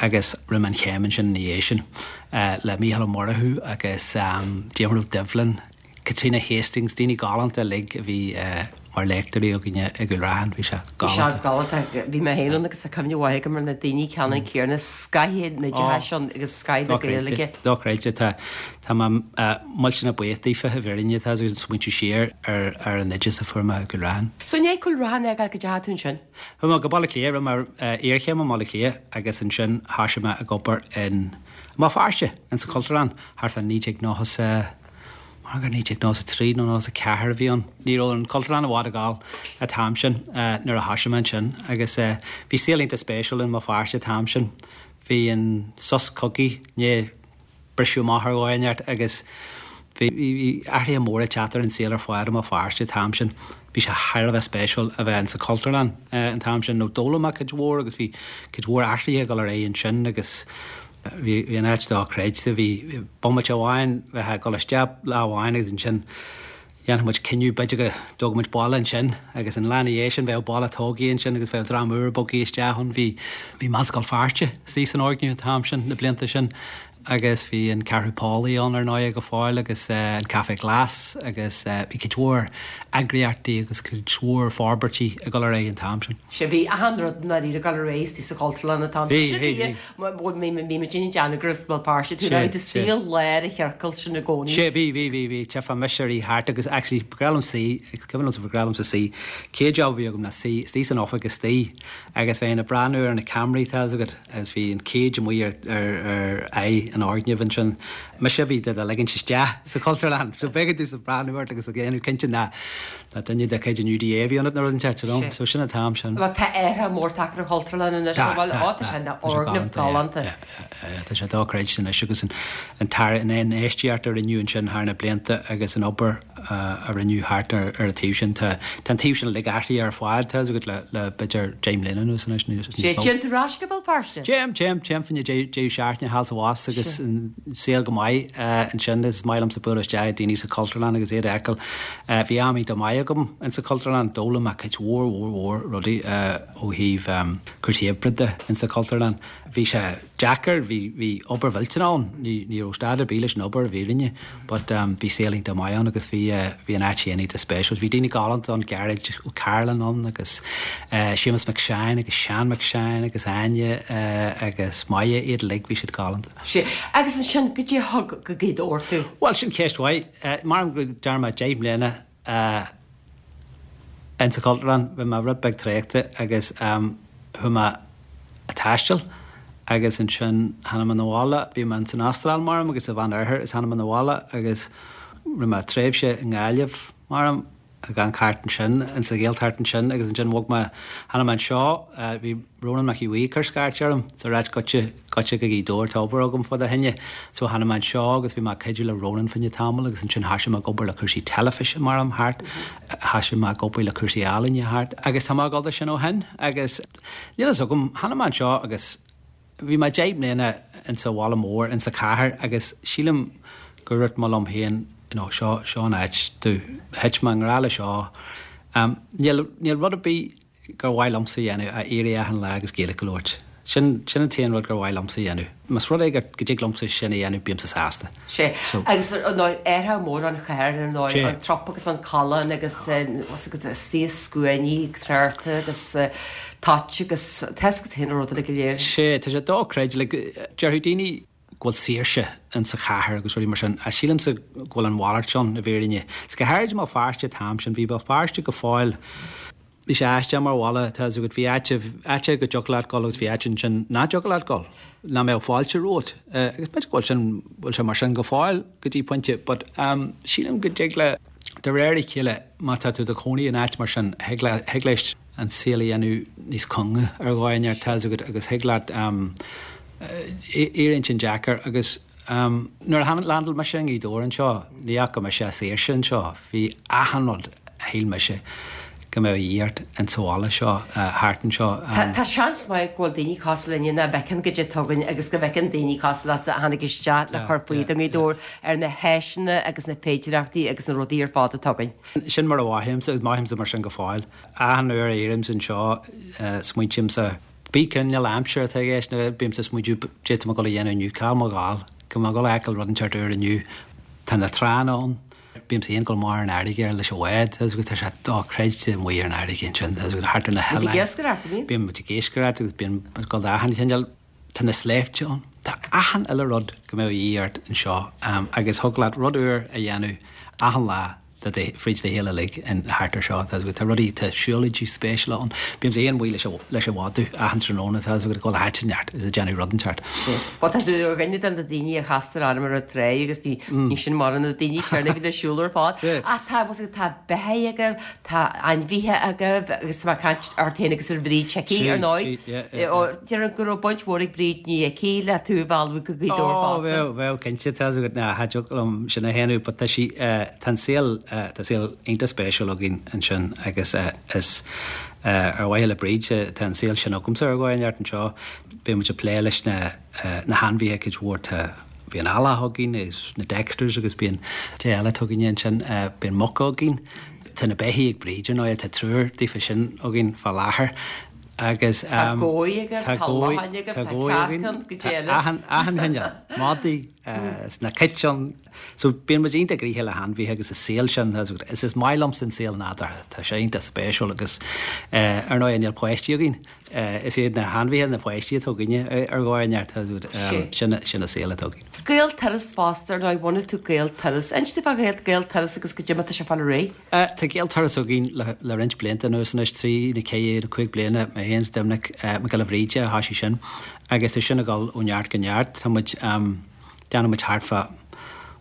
agus rinne mé an chéim ansin ina dhiaidh sin le Mícheál Ó Murchú agus Diarmuid Ó Doibhlin. Caitríona Hastings, daoine galánta uilig a bhí mar léachtóirí againne i gCúil Raithin, bhí sé galánta. Bhí sé galánta. Bhí mé féin ann agus tá cuimhne mhaith agam ar na daoine ceannann céanna, scoth an oideachais ann agus scoth na Gaeilge. Dochreidte. Tá tá mé millteanach buíoch daofa i bhfírinne, tá ag smaointiú siar ar ar an oideachas a fuair mé i gCúil Raithin. So i ndiaidh Cúil Raithin a fhágáil cá ndeachaigh tú ansin? Chuaigh mé go Baile Átha Cliath, rinne mé iarchéim i mBaile Átha Cliath agus ansin thoisigh mé ag obair in mBéal Feirste, in sa Chultúrlann thart fá 1990 Mar gur 1993 nó 94 a bhí ann. Ní raibh an Cultúrlann i bhfad ag gabháil an t-am sin nuair a thoisigh mé ansin agus bhí saol iontach spéisiúil i mBéal Feirste an t-am sin. Bhí an sos cogaidh i ndiaidh briseadh amach ar dhóigh inteacht agus bhí athruithe móra ag teacht ar an saol ar fad i mBéal Feirste an t-am sin. Bhí sé thar a bheith spéisiúil a bheith insa Chultúrlann an t-am sin nó d'fhoghlaim mé cuid mhór agus bhí cuid mhór athruithe ag dul ar aghaidh ansin agus Bhí an áit dochreidte. Bhí bomaite amháin, bheifeá ag dul isteach lá amháin agus ansin dhéanfadh muid cinneadh b'fhéidir go dtógfadh muid balla ansin agus an lá ina dhiaidh sin bheadh balla tógtha ansin agus bheadh dream úr bogtha isteach ann. Bhí bhí Meánscoil Feirste istigh san fhoirgneamh an t-am sin, na blianta sin agus bhí an Ceathrú Póilí ann ar ndóigh go fóill agus an Café Glas agus bhí cuid mhór eagraíochtaí agus cuid mhór forbairtí ag dul ar aghaidh an t-am sin. Sea, bhí achan rud i ndáiríre ag dul ar aghaidh istigh sa Chultúrlann an t-am sin. Bhí, bhí, bhí. Bhí muid ag déanamh gur as Béal Feirste tú, bhí tú istigh i lár an chiorcail sin i gcónaí. Sea, bhí, bhí, bhí, bhí, tchífeá mise ag rith thart agus actually ba ghnách liom suí, is cuimhin liomsa ba ghnách liomsa suí, chéad job a bhí agam ná suí istigh san oifig istigh agus bheinn ag breathnú ar na ceamaraí tá fhios agat agus bhí an cage amuigh ar, ar, ar aghaidh an fhoirgnimh ansin. Mise a bhí do do ligint isteach sa Chultúrlann so b'éigean domhsa breathnú ort agus ag déanamh cinnte ná Nach duine de chuid an UDA a bhí ionat nó rud inteacht, you know. So sin an t-am sin. Bhuel tá athrú mór tagtha ar an Chultúrlann anois, Tá, bhuel, tá, ó tá sé ina tá sé fhoirgneamh galánta, galánta. yeah, yeah, yeah, tá sé dochreidte anois agus an, an tar, an infheistíocht a rinneadh ansin thar na blianta agus an obair a rinneadh thart ar, ar an taobh sin, tá, tá an taobh sin uilig athraithe ar fad, tá fhios agat, le, le b'fhéidir 10 mbliana anuas anois, níos, níos mó. Téann tú ar ais go Béal Feirste? Téim, téim, téim fá choinne deireadh seachtaine thall is abhus agus an saol go maith ansin. Is maith liomsa bualadh isteach ag daoine sa Chultúrlann agus iad a fheiceáil. Bhí am iontach maith agam insa Chultúrlann. D'fhoghlaim mé cuid mhór mhór mhór rudaí ó thaobh cúrsaí oibre de insa Chultúrlann. Bhí sé deacair, bhí bhí obair mhillteanach ann, ní ní raibh stad ar bith leis an obair i bhfírinne but bhí saol iontach maith ann agus bhí bhí an áit féin iontach spéisiúil. Bhí daoine galánta ann, Gearóid Ó Cairealláin ann agus Séamus Mac Seáin agus Seán Mac Seáin agus Áine agus Máire, iad uilig, bhí siad galánta. Sea, agus ansin, goidé a thug go Gaoth Dobhair tú? Bhuel, sin ceist mhaith. Maram go ndearna mé 10 mbliana insa Chultúrlann, bhí mé rud beag traochta agus chuaigh mé a' taisteal agus ansin tháinig mé 'na bhaile, bhí mé ins an Astráil maram agus sa Mheán Oirthear agus tháinig mé 'na bhaile agus rinne mé tréimhse i nGaillimh maram ag amharc thart ansin, insa Ghaeltacht ansin agus ansin bhog mé, tháinig mé anseo, bhí Rónán Mac Aodha Bhuí ag cur scairt orm, is ag ráit goitse, goitse go Gaoth Dobhair, tá obair agam fá do choinne. So tháinig mé anseo agus bhí mé ag cuidiú le Rónán fá choinne tamall agus ansin thoisigh mé ag obair le cúrsaí teilifíse maram thart, thoisigh mé ag obair le cúrsaí ealaíne thart agus tá mé ag dul de sin ó shin agus níl fhios agam, tháinig mé anseo agus Bhí mé 10 mbliana insa bhaile mór, insa chathair agus sílim gur dhúirt mé liom féin, you know, seo, seo an áit domh. Thit mé i ngrá le seo. Níl, níl rud ar bith gur mhaith liomsa a dhéanamh ach éirí achan lá agus Gaeilge a labhairt. Sin, sin an t-aon rud gur mhaith liomsa a dhéanamh. Más rud é go, go dtig liomsa sin a dhéanamh bímse sásta. Sea. So. Agus ar ndóigh, athrú mór an chathair ar ndóigh, an trup agus an callán agus istigh i scuainí tráchta agus toit agus tá fhios agat féin na rudaí go léir. Sea, tá sé dochreidte, like, déarfadh daoine go bhfuil saoirse in sa chathair agus rudaí mar sin, ach sílimse go bhfuil an mhalairt ann i bhfírinne. Is go háirid i mBéal Feirste an t-am sin, bhí Béal Feirste go fóill. Bhí sé aisteach mar bhaile, tá 'fhios agat, bhí áit, áit go dtiocfadh leat dul agus bhí áit ansin nach dtiocfadh leat dul, nach mbeadh fáilte romhat. Agus b'fhéidir go bhfuil sin, bhfuil sé mar sin go fóill go dtí pointe, but sílim go dtig le, de réir a chéile, má tá tú i do chónaí in áit mar sin, thig le, thig leis an saol a dhéanamh níos cúnga ar dhóigh inteacht, tá 'fhios agat, agus thig leat, éiríonn sin deacair agus. Nuair a landáil mise i nGaoth Dobhair anseo, ní fhaca mise saoirse anseo. Bhí achan rud a shíl mise go mbeadh a dhíth ort insa bhaile seo, thart anseo. Tá seans maith go bhfuil daoine cosúil linne nach bhfeiceann goidé atá againn agus go bhfeiceann daoine cosúil leatsa a tháinig isteach le cur faoi do Ghaoth Dobhair ar na háiseanna agus na féidireachtaí agus na rudaí ar fad atá againn. Sin mar a mhothaímse agus mothaímse mar sin go fóill. Achan uair a éirímse anseo, smaointímse. Pé cineál aimsire atá i gceist, nó bímse ag smaointiú goidé tá mé ag dul a dhéanamh inniu, cá bhfuil mé ag gabháil, go bhfuil mé ag dul a fheiceáil rud inteacht úr inniu. Tá na tránna ann, bímse féin ag dul amach ar an fharraige leis an bhád, tá tá sé dochreidte amuigh ar an fharraige ansin, tá thart ar na hoileáin. Muid ag iascaireacht, an mbíonn? Bíonn muid ag iascaireacht agus bíonn ag dul d'achan chineál, tá na sléibhte ann, tá achan uile rud go mbeadh a dhíth ort anseo agus thig leat rud úr a dhéanamh achan lá. fríd do shaol uilig in thart ar seo. Tá tá rudaí, tá siúlóidí spéisiúla ann. Bímse féin amuigh leis an leis an mhadadh achan tráthnóna, tá 'fhios agat ag dul áit inteacht is ag déanamh rud inteacht. Bhuel tá tú ar dhuine de na daoine a chastar orm ar an trá agus ní ní sin mar na daoine céanna a bhíonn ag siúl ar fad. Ach tá bhfuil tá beithígh agaibh, tá ainmhithe agaibh agus tá mé ag caint ort féin agus ar Bhríd Hickey ar ndóigh. Déarfainn go raibh baint mhór ag Bríd Ní Icí le tú a mhealladh go Gaoth Dobhair Ó, fosta. bheadh, bheadh, cinnte, tá 'fhios agat, ná, cha dtiocfadh liom sin a shéanadh, but tá sí, tá an saol, tá saol iontach spéisiúil againn ansin agus is ar mhaithe le Bríd tá an saol sin agamsa ar dhóigh inteacht anseo. Bíonn muid ag plé leis na, na hainmhithe cuid mhór, tá, bíonn eallach againn agus na Dexters agus bíonn, cad é eile atá againne ansin, bíonn muca againn, tá na beithígh ag Bríd ar ndóigh, tá triúr daofa sin againn fá láthair. Agus Tá gói agaibh, tá lachain agaibh, tá cearca, goidé eile. Achan, achan chineál, madaí, is na cait ann. So bíonn muid iontach gnoitheach le hainmhithe agus an saol sin, is is maith liomsa an saol nádúrtha, tá sé iontach spéisiúil agus ar ndóigh níl páistí againn, is iad na hainmhithe na páistí atá againne ar dhóigh inteacht, sin sin an saol atá againn. Gaelturas fosta, ar ndóigh, bhunaigh tú Gaelturas. Inis dúinn fá Ghaelturas agus goidé mar atá sé ag fáil ar aghaidh. Tá Gaelturas againn le roinnt blianta anuas anois, trí nó ceathair nó cúig bliana, mé féin is Doimnic Mac Giolla Bhríde a thoisigh sin agus tá sin ag dul ó neart go neart. Tá muid, déanann muid thart fá,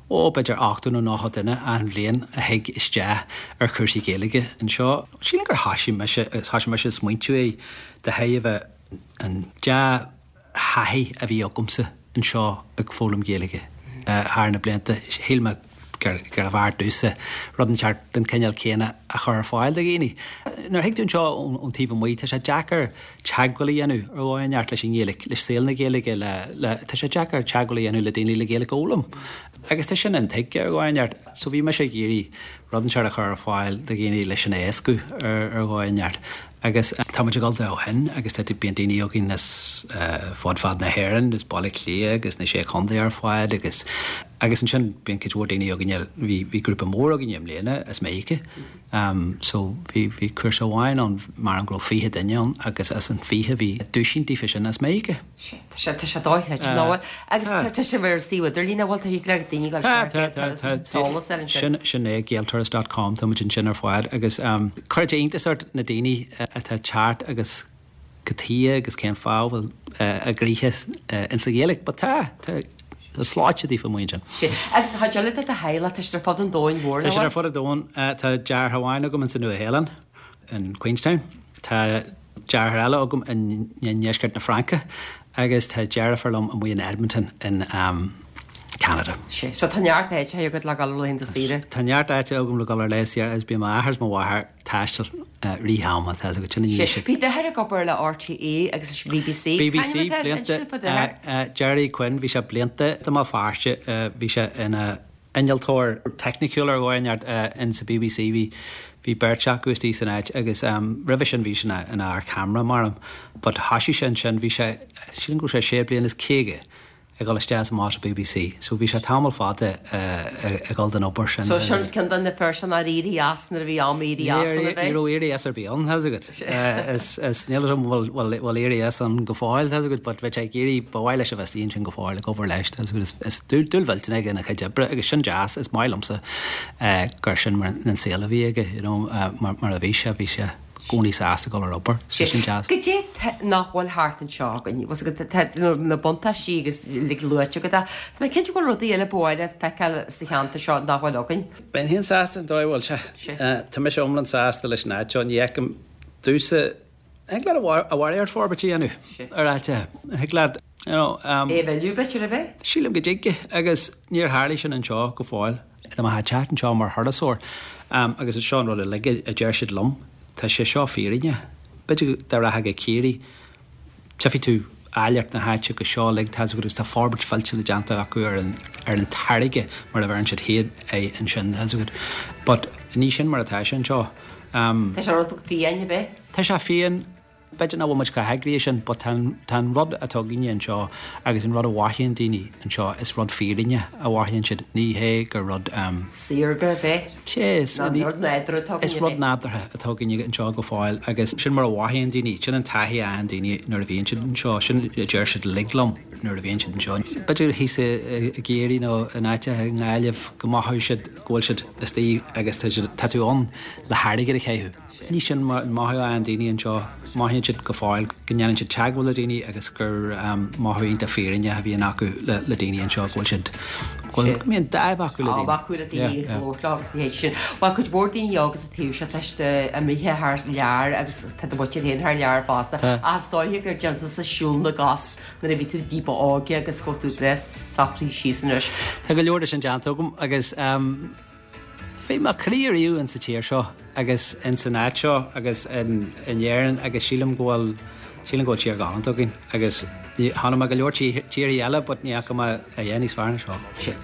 ó, b'fhéidir 80 nó 90 duine achan bhliain a thig isteach ar chúrsaí Gaeilge anseo. Sílim gur thoisigh mise, thoisigh mise ag smaointiú é de thairbhe an dea, thaithí a bhí agamsa anseo ag foghlaim Gaeilge thar na blianta, shíl mé gurbh fhearr domhsa rud inteacht den chineál céanna a chur ar fáil do dhaoine. Nuair a thig tú anseo ón taobh amuigh, tá sé deacair teagmháil a dhéanamh ar dhóigh inteacht leis an nGaeilge, le saol na Gaeilge, le, le, tá sé deacair teagmháil a dhéanamh le daoine le Gaeilge a fhoghlaim. Agus tá sin intuigthe ar dhóigh inteacht. So bhí mise ag iarraidh rud inteacht a chur ar fáil do dhaoine leis sin a éascú ar dhóigh inteacht. Agus tá muid ag dul de ó shin agus tá, bíonn daoine againn as fud fad na hÉireann, as Baile Átha Cliath agus na Sé Chontae ar fad agus, agus ansin bíonn cuid mhór daoine againne, bhí, bhí grúpa mór againne i mbliana as Meiriceá. So bhí, bhí cúrsa amháin ann, measaim go raibh 20 duine ann agus as an 20 bhí duisín díofa sin as Meiriceá. Tá sé, tá sé dochreidte, nach bhfuil? Agus tá, tá sé ar suíomh idirlín, nach bhfuil? Tá thig le daoine dul Tá, tá, tá, tá. Eolas ar ansin. Sin, sin é, gaelturas dot com, tá muid ansin ar fad agus cuireann sé iontas ort na daoine atá ag teacht agus cad chuige agus cén fáth a bhfuil a gcroíthe insa Ghaeilge. But tá, tá, tá slate daofa amuigh ansin. Sea. Agus an chuid eile de do theaghlach, tá siad ar fud an domhain mhóir, nach bhfuil? Tá siad ar fud an domhain. Tá deartháir amháin agam insa Nua-Shéalainn. in Queenstown. Tá deartháir eile agam i ndeisceart na Fraince agus tá deirfiúr liom amuigh in Edmonton in Canada. Sea, so tá neart áiteacha agat le dhul ar laethanta saoire. Tá neart áite agam le dhul ar lae saoire agus bíonn m'athair is mo mháthair ag taisteal i rith ama, tá 'fhios agat, sin an Sea, bhí d'athair ag obair le RTÉ agus leis an BBC. BBC, blianta, Gerry Quinn, bhí sé blianta i mBéal Feirste, bhí sé ina innealtóir teicniciúil ar dhóigh inteacht in sa BBC. Bhí bhí beirt acu istigh san áit agus roimhe sin bhí sé ina ina fhear ceamara measaim. But thoisigh sé ansin, bhí sé, sílim go raibh sé sé bliana is 50 ag dul isteach is amach sa BBC. So bhí sé tamall fada ag dul don obair sin. So sin ceann de na fir sin nár éirigh as nuair a bhí am éirí as ann, ab é? Ní raibh éirí as ar bith ann, tá 'fhios agat. Is is níl 'fhios agam bhfuil bhfuil bhfuil éirí as ann go fóill, tá 'fhios agat, but bheadh sé ag iarraidh, ba mhaith leis a bheith istigh ansin go fóill ag obair leis, tá 'fhios agat, is is dúil dúil mhillteanach aige ina chuid oibre agus sin deas, is maith liomsa gur sin mar an saol a bhí aige, you know, mar mar a bhí sé, bhí sé. gcónaí sásta dul ar obair. Tá sin deas. Goidé nach bhfuil thart anseo againn? Bhfuil 's agat, tá na buntáistí agus uilig luaite agat ach tá mé cinnte go bhfuil rudaí eile ba mhaith leat feiceáil sa cheantar seo nach bhfuil againn. Bheinn féin sásta an dóigh a bhfuil sé. Tá mise iomlán sásta leis an áit seo. Ní fheicim domhsa, thig leat i bhfad ar forbairt a dhéanamh ar áiteacha. Thig leat, you know. É a mhilleadh b'fhéidir, ab ea? Sílim go dtig agus níor tharlaigh sin anseo go fóill. Tá mé ag teacht anseo mar thurasóir agus seo an rud uilig a deir siad liom, tá sé seo fírinne. B'fhéidir dá rachfá go Ciarraí, tchífidh tú áilleacht na háite agus seo uilig, tá agus tá forbairt mhillteanach déanta acu ar an ar an táirge mar a bheireann siad féin é ansin, tá agat. But ní sin mar atá sé anseo. Tá sé rud beag fiáin, ab ea? Tá sé fiáin. B'fhéidir nach bhfuil muid chomh heagraithe sin but tá an, tá an rud atá againne anseo agus an rud a mhothaíonn daoine anseo, is rud fírinne a mhothaíonn siad, ní hé gur rud ehm. Saorga a bheith. Sea, is, Ná rud nádúrtha atá againne. Is rud nádúrtha atá againne anseo go fóill agus sin mar a mhothaíonn daoine, sin an taithí a fhaigheann daoine nuair a bhíonn siad anseo, sin a deir siad uilig liom nuair a bhíonn siad anseo. B'fhéidir thíos i gCiarraí nó in áiteacha i nGaillimh go mothóidh siad go bhfuil siad istigh agus tá siad, tá tú ann le hairgead a chaitheamh. Ní sin an mothú a fhaigheann daoine anseo. Mothaíonn siad go fóill go ndéanann siad teagmháil le daoine agus gur mothú iontach fírinneach a bhíonn acu le daoine anseo, go bhfuil siad, go bhfuil, go mbíonn dáimh acu le daoine. Dáimh acu le daoine ag labhairt leo agus a leithéid sin. Bhuel, cuid mhór daoine óga sa taobh seo, tá siad imithe thar lear agus tá do mhuintir féin thar lear fosta. Ach is dóiche gur déan tusa siúl na gcos nuair a bhí tú ní ba óige agus go bhfuil tú breá socraithe síos anois. Tá go leor de sin déanta agam agus. Bhí mo chroí ariamh in sa tír seo agus in san áit seo agus in Éirinn agus sílim go bhfuil, sílim go bhfuil tír ghalánta againn agus chonaic mé go leor tíorthaí eile but ní fhaca mé a dhath níos fearr ná seo.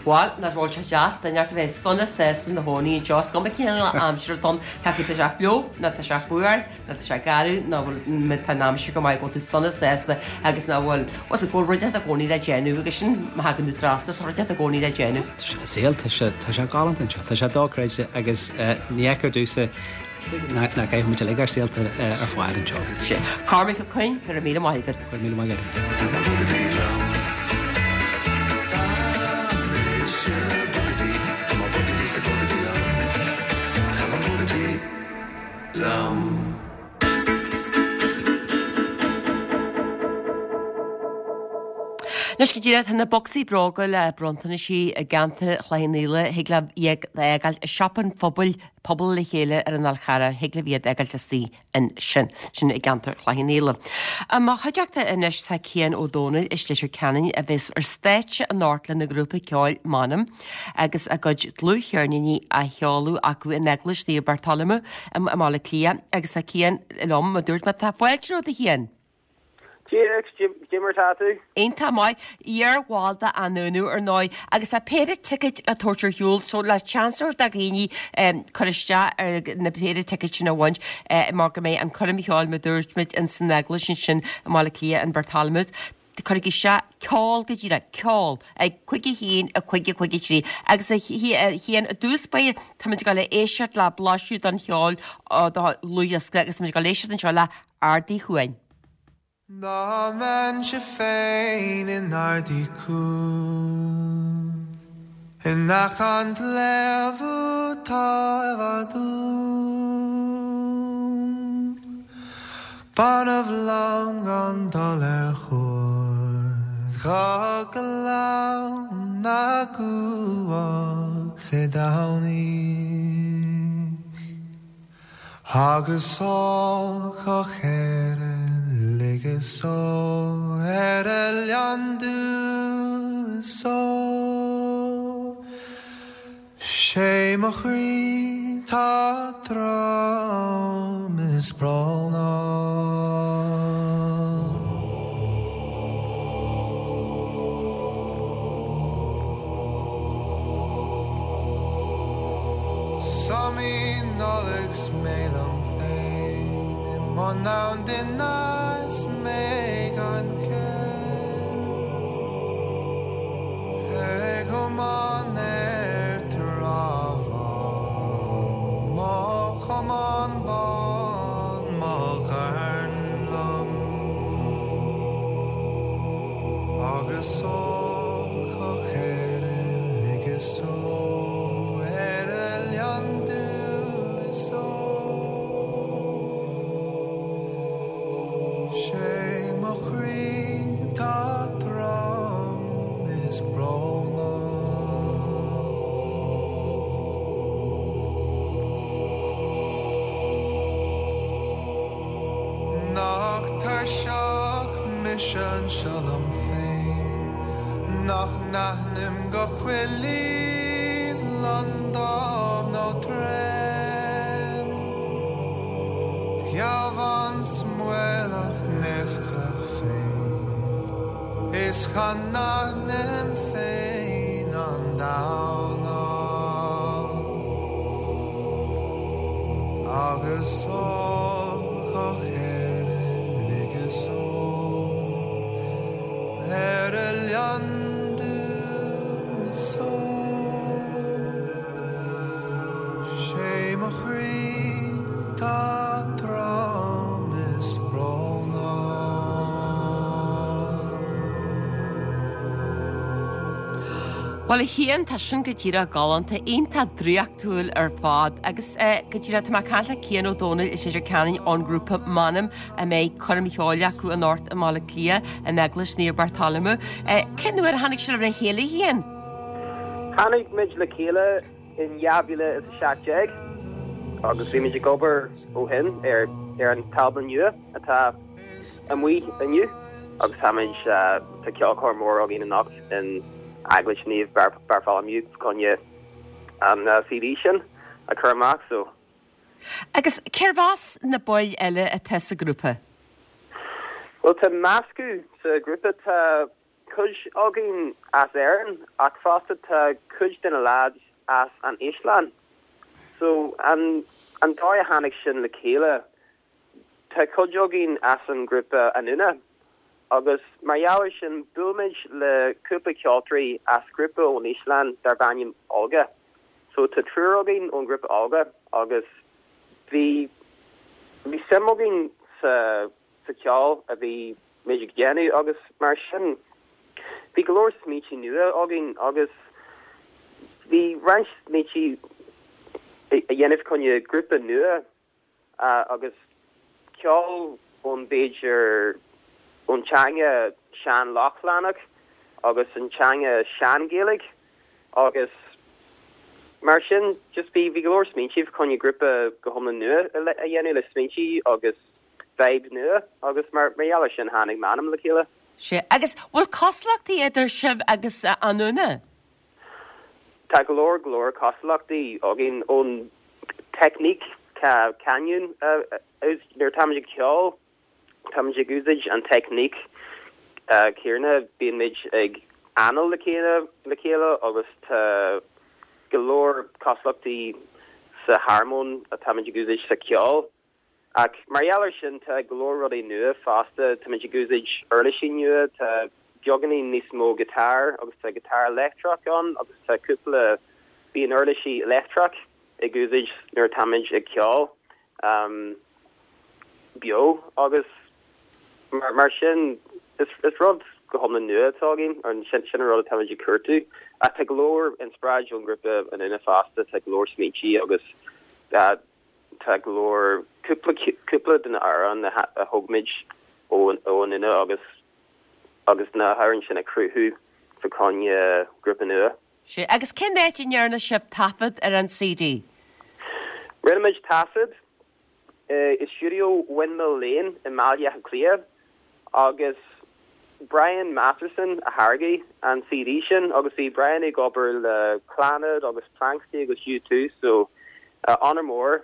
Bhuel, nach bhfuil sé deas duine inteacht a bheith sona sásta ina chónaí anseo, is cuma cén aimsir atá ann, cé acu tá sé fliuch nó tá sé fuar, Ná tá sé garbh, ná bhfuil, má tá an aimsir go maith, go bhfuil tú sona sásta agus ná bhfuil, bhfuil, go bhfuil rud inteacht i gcónaí le déanamh agus sin má thagann tú trasna, tá rud inteacht i gcónaí le déanamh. Tá sé saol, tá sé, tá sé galánta anseo, tá sé dochreidte agus ní fheictear domhsa nach gcaithfidh muid uilig ár saolta ar fad anseo. Sin. Cormac Ó Coinn, go raibh míle maith agat. Go raibh míle maith agat. Liom. Anois go díreach, tá na bocsaí bróga le bronntanaisí i gceantar Chloich Cheann Fhaola, thig libh iad a fhágáil i siopa an phobail, Pobal le Chéile ar an Fhál Charrach, thig libh iad a fhágáil istigh ansin, sin i gceantar Chloich Cheann Fhaola. I mo chuideachta anois tá Cian Ó Dónaill as Leitir Ceanainn a bheas ar stáitse anocht lena ghrúpa ceoil M'Anam. agus a gcuid dlúthcheirníní á sheoladh acu in Eaglais Naomh Bartolomeu i mBaile Átha Cliath agus tá Cian liom, mar a dúirt mé, tá fáilte romhat a Chian! Dia duit, cad é mar atá tú? Iontach maith, iar-bhall de Anúnú ar ndóigh agus tá péire ticéid le tabhairt ar shiúl so le seans a thabhairt do dhaoine cur isteach ar na péire ticéid sin a bhaint mar go mbeidh an coirm cheoil mar a dúirt muid in san Eaglais ansin i mBaile Átha Cliath an Bartholomew's. Cuirigí isteach ceol go díreach, ceol, ag 5 1, 5 5 3. Agus a Chian, i dtús báire, táimid ag dul a éisteacht le blaiseadh den cheol ó do dhlúthdhiosca agus táimid ag dul a éisteacht anseo le Ard Uí Chuain. Dá mbeinnse féin in Ard Uí Cuain In aice an tsléibhe atá i bhfad uaim. B'annamh liom gan dul ar chuairt go Gleann na gCuach Dé Domhnaigh agus ó Chlochair uilig is ó ar Oileán Dú is ó 'Sé mo chroí 'tá trom is brónach. 'S um Nollaig 's mé liom féin i mo dhamhain is mé gan chéill. Ag iomáint ar Trá Bhán, mo chamán bán, mo dhorn liom. Agus ó Chlochair uilig is ó ar Oileán Dú is ó. mise anseo liom féin nach n-aithním go cuilín lon dubh nó tréan. Geamhan 's maolach naoscach féin is cha n-aithním féin an Domhnall. Agus ó chéad ligeas ó ar oileán dúinn so 'sé mo chroí tá trom is brónach. Bhuel a Chian, tá sin go díreach galánta, iontach draíochtúil ar fad agus go díreach tá mé ag caint le Cian Ó Domhnaill as Leitir Ceanainn ón ngrúpa M'Anam a mbeidh coirm cheoil acu anocht i mBaile Átha Cliath in Eaglais Naomh Bartolomeu. Cén uair a tháinig sibh le chéile a Chian? Tháinig muid le chéile in 2017 agus bhí muid ag obair ó shin ar ar an t-albam nua atá amuigh inniu agus táimid tá ceolchoirm mór againn anocht in Eaglais Naomh Bartholomew fá choinne an CD sin a chur amach so. Agus cérbh as na baill eile atá sa ghrúpa? Bhuel tá meascadh sa ghrúpa, tá cuid againn as Éirinn ach fosta tá cuid de na lads as an Íoslainn. So an an dóigh a tháinig sin le chéile, tá cuid againn as an ngrúpa Anúna agus mar gheall ar sin bhuail muid le cúpla ceoltóirí as grúpa ón Íoslainn darb ainm Olga. So tá triúr againn ón ngrúpa Olga agus bhí bhí suim againn sa sa cheol a bhí muid ag déanamh agus mar sin bhí go leor smaointe nua againn agus bhí roinnt smaointe a dhéanamh chun grúpa nua agus ceol ón b'fhéidir ón teanga sean-Lochlannach agus an teanga sean-Ghaeilge agus mar sin just bhí bhí go leor smaointe fá choinne grúpa go hiomlán nua a dhéanamh le smaointe agus vibe nua agus mar mar gheall ar sin tháinig M'Anam le chéile. Sea, agus bhfuil cosúlachtaí idir sibh agus Anúna? Tá go leor go leor cosúlachtaí againn ón teicníc canúint nuair atáimid ag ceol táimid ag úsáid an teicníc céanna bíonn muid ag anáil le chéile le chéile agus tá go leor cosúlachtaí sa harmóin atáimid ag úsáid sa cheol. Ach mar gheall ar sin tá go leor rudaí nua fosta, táimid ag úsáid uirlisí nua, tá beagáinín níos mó guitar agus tá guitar leictreach ann agus tá cúpla, bíonn uirlisí leictreach ag úsáid nuair atáimid ag ceol beo agus mar sin is rud go hiomlán nua atá againn, sin an rud atáimid ag cuartú. Ach tá go leor inspioráid ón ngrúpa Anúna fosta, tá go leor smaointí agus Tá go leor, cúpla, cúpla de na amhráin a thóg muid ó Anúna agus agus na hamhráin sin a cruthú fá choinne grúpa nua. Sea, agus cén áit a ndearna sibh taifead ar an CD? Rinne muid taifead i stiúideo Windmill Lane i mBaile Átha Cliath agus Brian Masterson a tháirgigh an CD sin agus bhí Brian ag obair le Clannad agus Planxty agus U2 so honor mór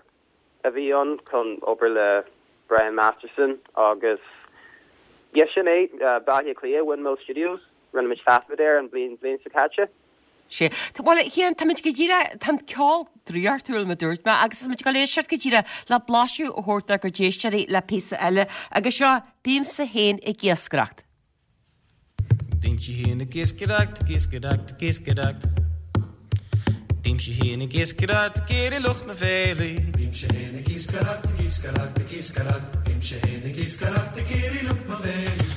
a bhí ann chun obair le Brian Masterson agus yeah sin é, Baile Átha Cliath, Windmill Studios, rinne muid taifead air an bhliain bhliain seo caite. Sea. Bhuel, a Chian, táimid go díreach, tá an ceol draíochtúil, mar a dúirt mé, agus tá muid ag dul éisteacht go díreach le blaiseadh a thabhairt dár gcuid éisteoirí le píosa eile, agus seo, Bímse Féin ag Iascaireacht. Bímse féin ag iascaireacht, ag iascaireacht, ag iascaireacht. Bímse féin ag iascaireacht ag iarraidh lucht mo bhéilí. Bímse féin ag iascaireacht, ag iascaireacht, ag iascaireacht. Bímse féin ag iascaireacht ag iarraidh lucht mo bhéilí. Bímse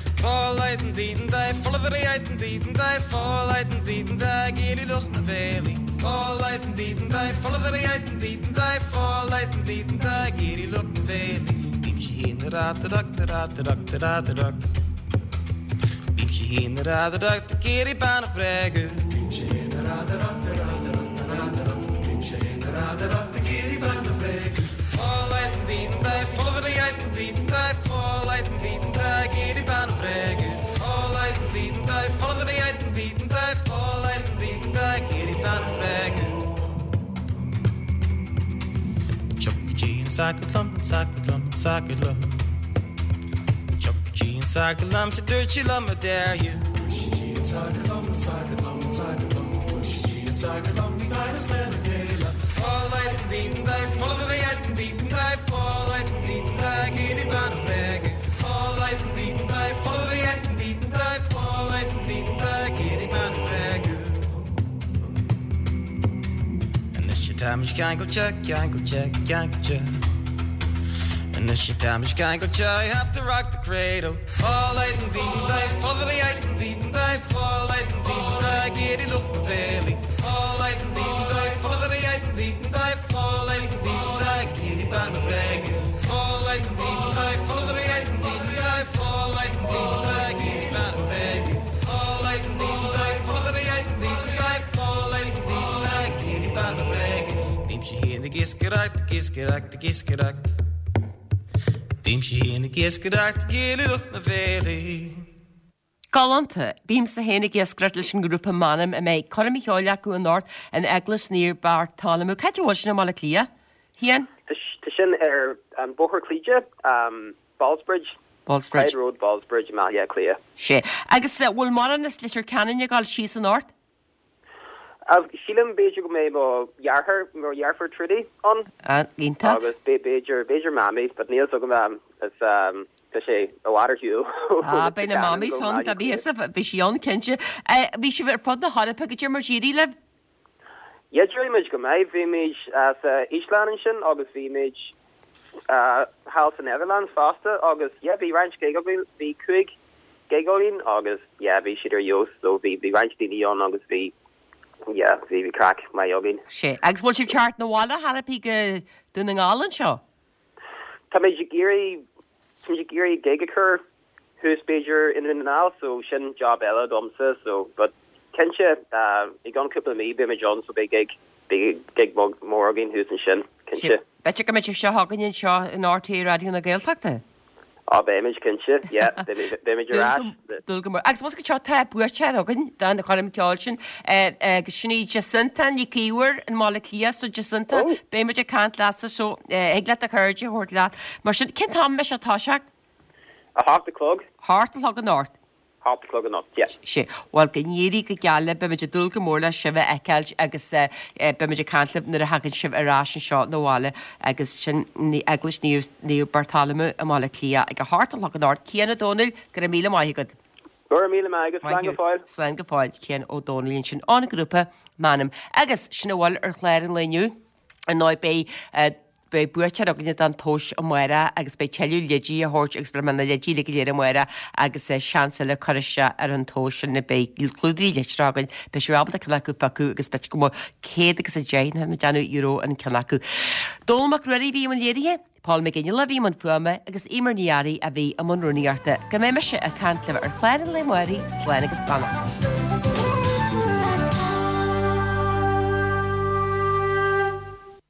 féin ag radaireacht ag iarraidh bean a bhréagadh. Bímse féin ag radaireacht, ag radaireacht, ag radaireacht. Bímse féin ag radaireacht ag iarraidh bean a bhréagadh. sagart liom, an sagart liom, an sagart liom. Tiocfaidh sí an sagart liom 's a dúirt sí liom I dare you. Dúirt sí an sagart liom, an sagart liom, an sagart liom. Dúirt sí an sagart liom bhí daighdeas lena chéile. Anois ceangailte, ceangailte, ceangailte. Anois táimid ceangailte, I have to rock the cradle. Bímse féin ag iascaireacht, ag iascaireacht, ag iascaireacht. Bímse féin ag iascaireacht ag éileamh lucht na bhféilí. Galánta! Bímse féin ag iascaireacht leis an ngrúpa M'Anam a mbeidh coirm cheoil acu anocht in Eaglais Naomh Bartolomeu. Cá háit a bhfuil sin i mBaile Átha Cliath? Cian? Tá sin ar an Bóthar Chlaíde, Ballsbridge. Ballsbridge. Clyde Road, Ballsbridge i mBaile Átha Cliath. Sea. Agus bhfuil mórán as Leitir Ceanainn ag dul síos anocht? Sílim b'fhéidir go mbeidh mo dheartháir, mo dheirfiúr Trudy ann. Ah, iontach. Agus b'fhéidir, b'fhéidir Mamaí, but níl 's agam, is tá sé i bhfad ar shiúl. Ah, beidh na Mamaí ann, tá bhí fhios, bhí sí ann, cinnte. Bhí sibh ar fud na hEorpa, goidé mar d'éirigh libh? Yeah, d'éirigh muid go maith. Bhí muid sa Íoslainn ansin agus bhí muid thall sa Netherlands fosta agus yeah, bhí roinnt gig againn, bhí 5 gig againn agus yeah, bhí siad ar fheabhas so bhí bhí roinnt daoine ann agus bhí yeah, bhí bhí craic maith againn. Sea. Agus bhfuil sibh teacht 'na bhaile chor ar bith go Dún na nGall anseo? Táimid ag iarraidh táimid ag iarraidh gig a chur thuas b'fhéidir i nDún na nGall so sin job eile domsa so but cinnte i gceann cúpla mí beimid ann so beidh gig beidh gig mór againn thuas ansin cinnte. B'fhéidir go mbeidh sibh seo chugainn anseo in RTÉ Raidió na Gaeltachta? Á beimid cinnte yeah beimid ar ais. Dúil go mór. Agus más go seo tá buaiteoir againn don choirm ceoil sin agus sin í Jacinta Nic Íomhair i mBaile Átha Cliath so Jacinta beimid ag caint leatsa so thig leat do chairde a thabhairt leat. Mar sin cén t-am a mbeidh sé ag toiseacht? 8 a chlog. 8 a chlog anocht. 8 a chlog anocht, yeah. Sea. Bhuel, go n-éirí go geal libh, beimid ag dúil go mór le sibh a fheiceáilt agus beimid ag caint libh nuair a thagann sibh ar ais anseo 'na bhaile agus sin Eaglais Naomh Bartholomew i mBaile Átha Cliath ag a hocht a chlog anocht. Cian Ó Dónaill, go raibh míle maith agat. Go raibh míle maith agat, slán go fóill. Slán go fóill, Cian Ó Dónaill ansin ón ngrúpa M'Anam. Agus sin a bhfuil ar chlár an lae inniu. Ar ndóigh beidh beidh buaiteoir againne don tomhas amárach agus beidh tuilleadh leidí á thabhairt agus beidh na leidí uilig go léir amárach agus seans eile cur isteach ar an tomhas sin beidh clúdairí litreach againn beidh sibh ábalta ceann acu a phiocadh agus b'fhéidir go mbeadh 110 nó déanamh euro an ceann acu. Dónall Mac Ruairí a bhí i mbun léirithe, Paul Mac Fhionnghaile a bhí i mbun fuaime agus Eimear Ní Fhearraigh a bhí i mbun rúnaíochta. Go mbeidh mise ag caint libh ar chlár an lae amárach, slán agus beannacht.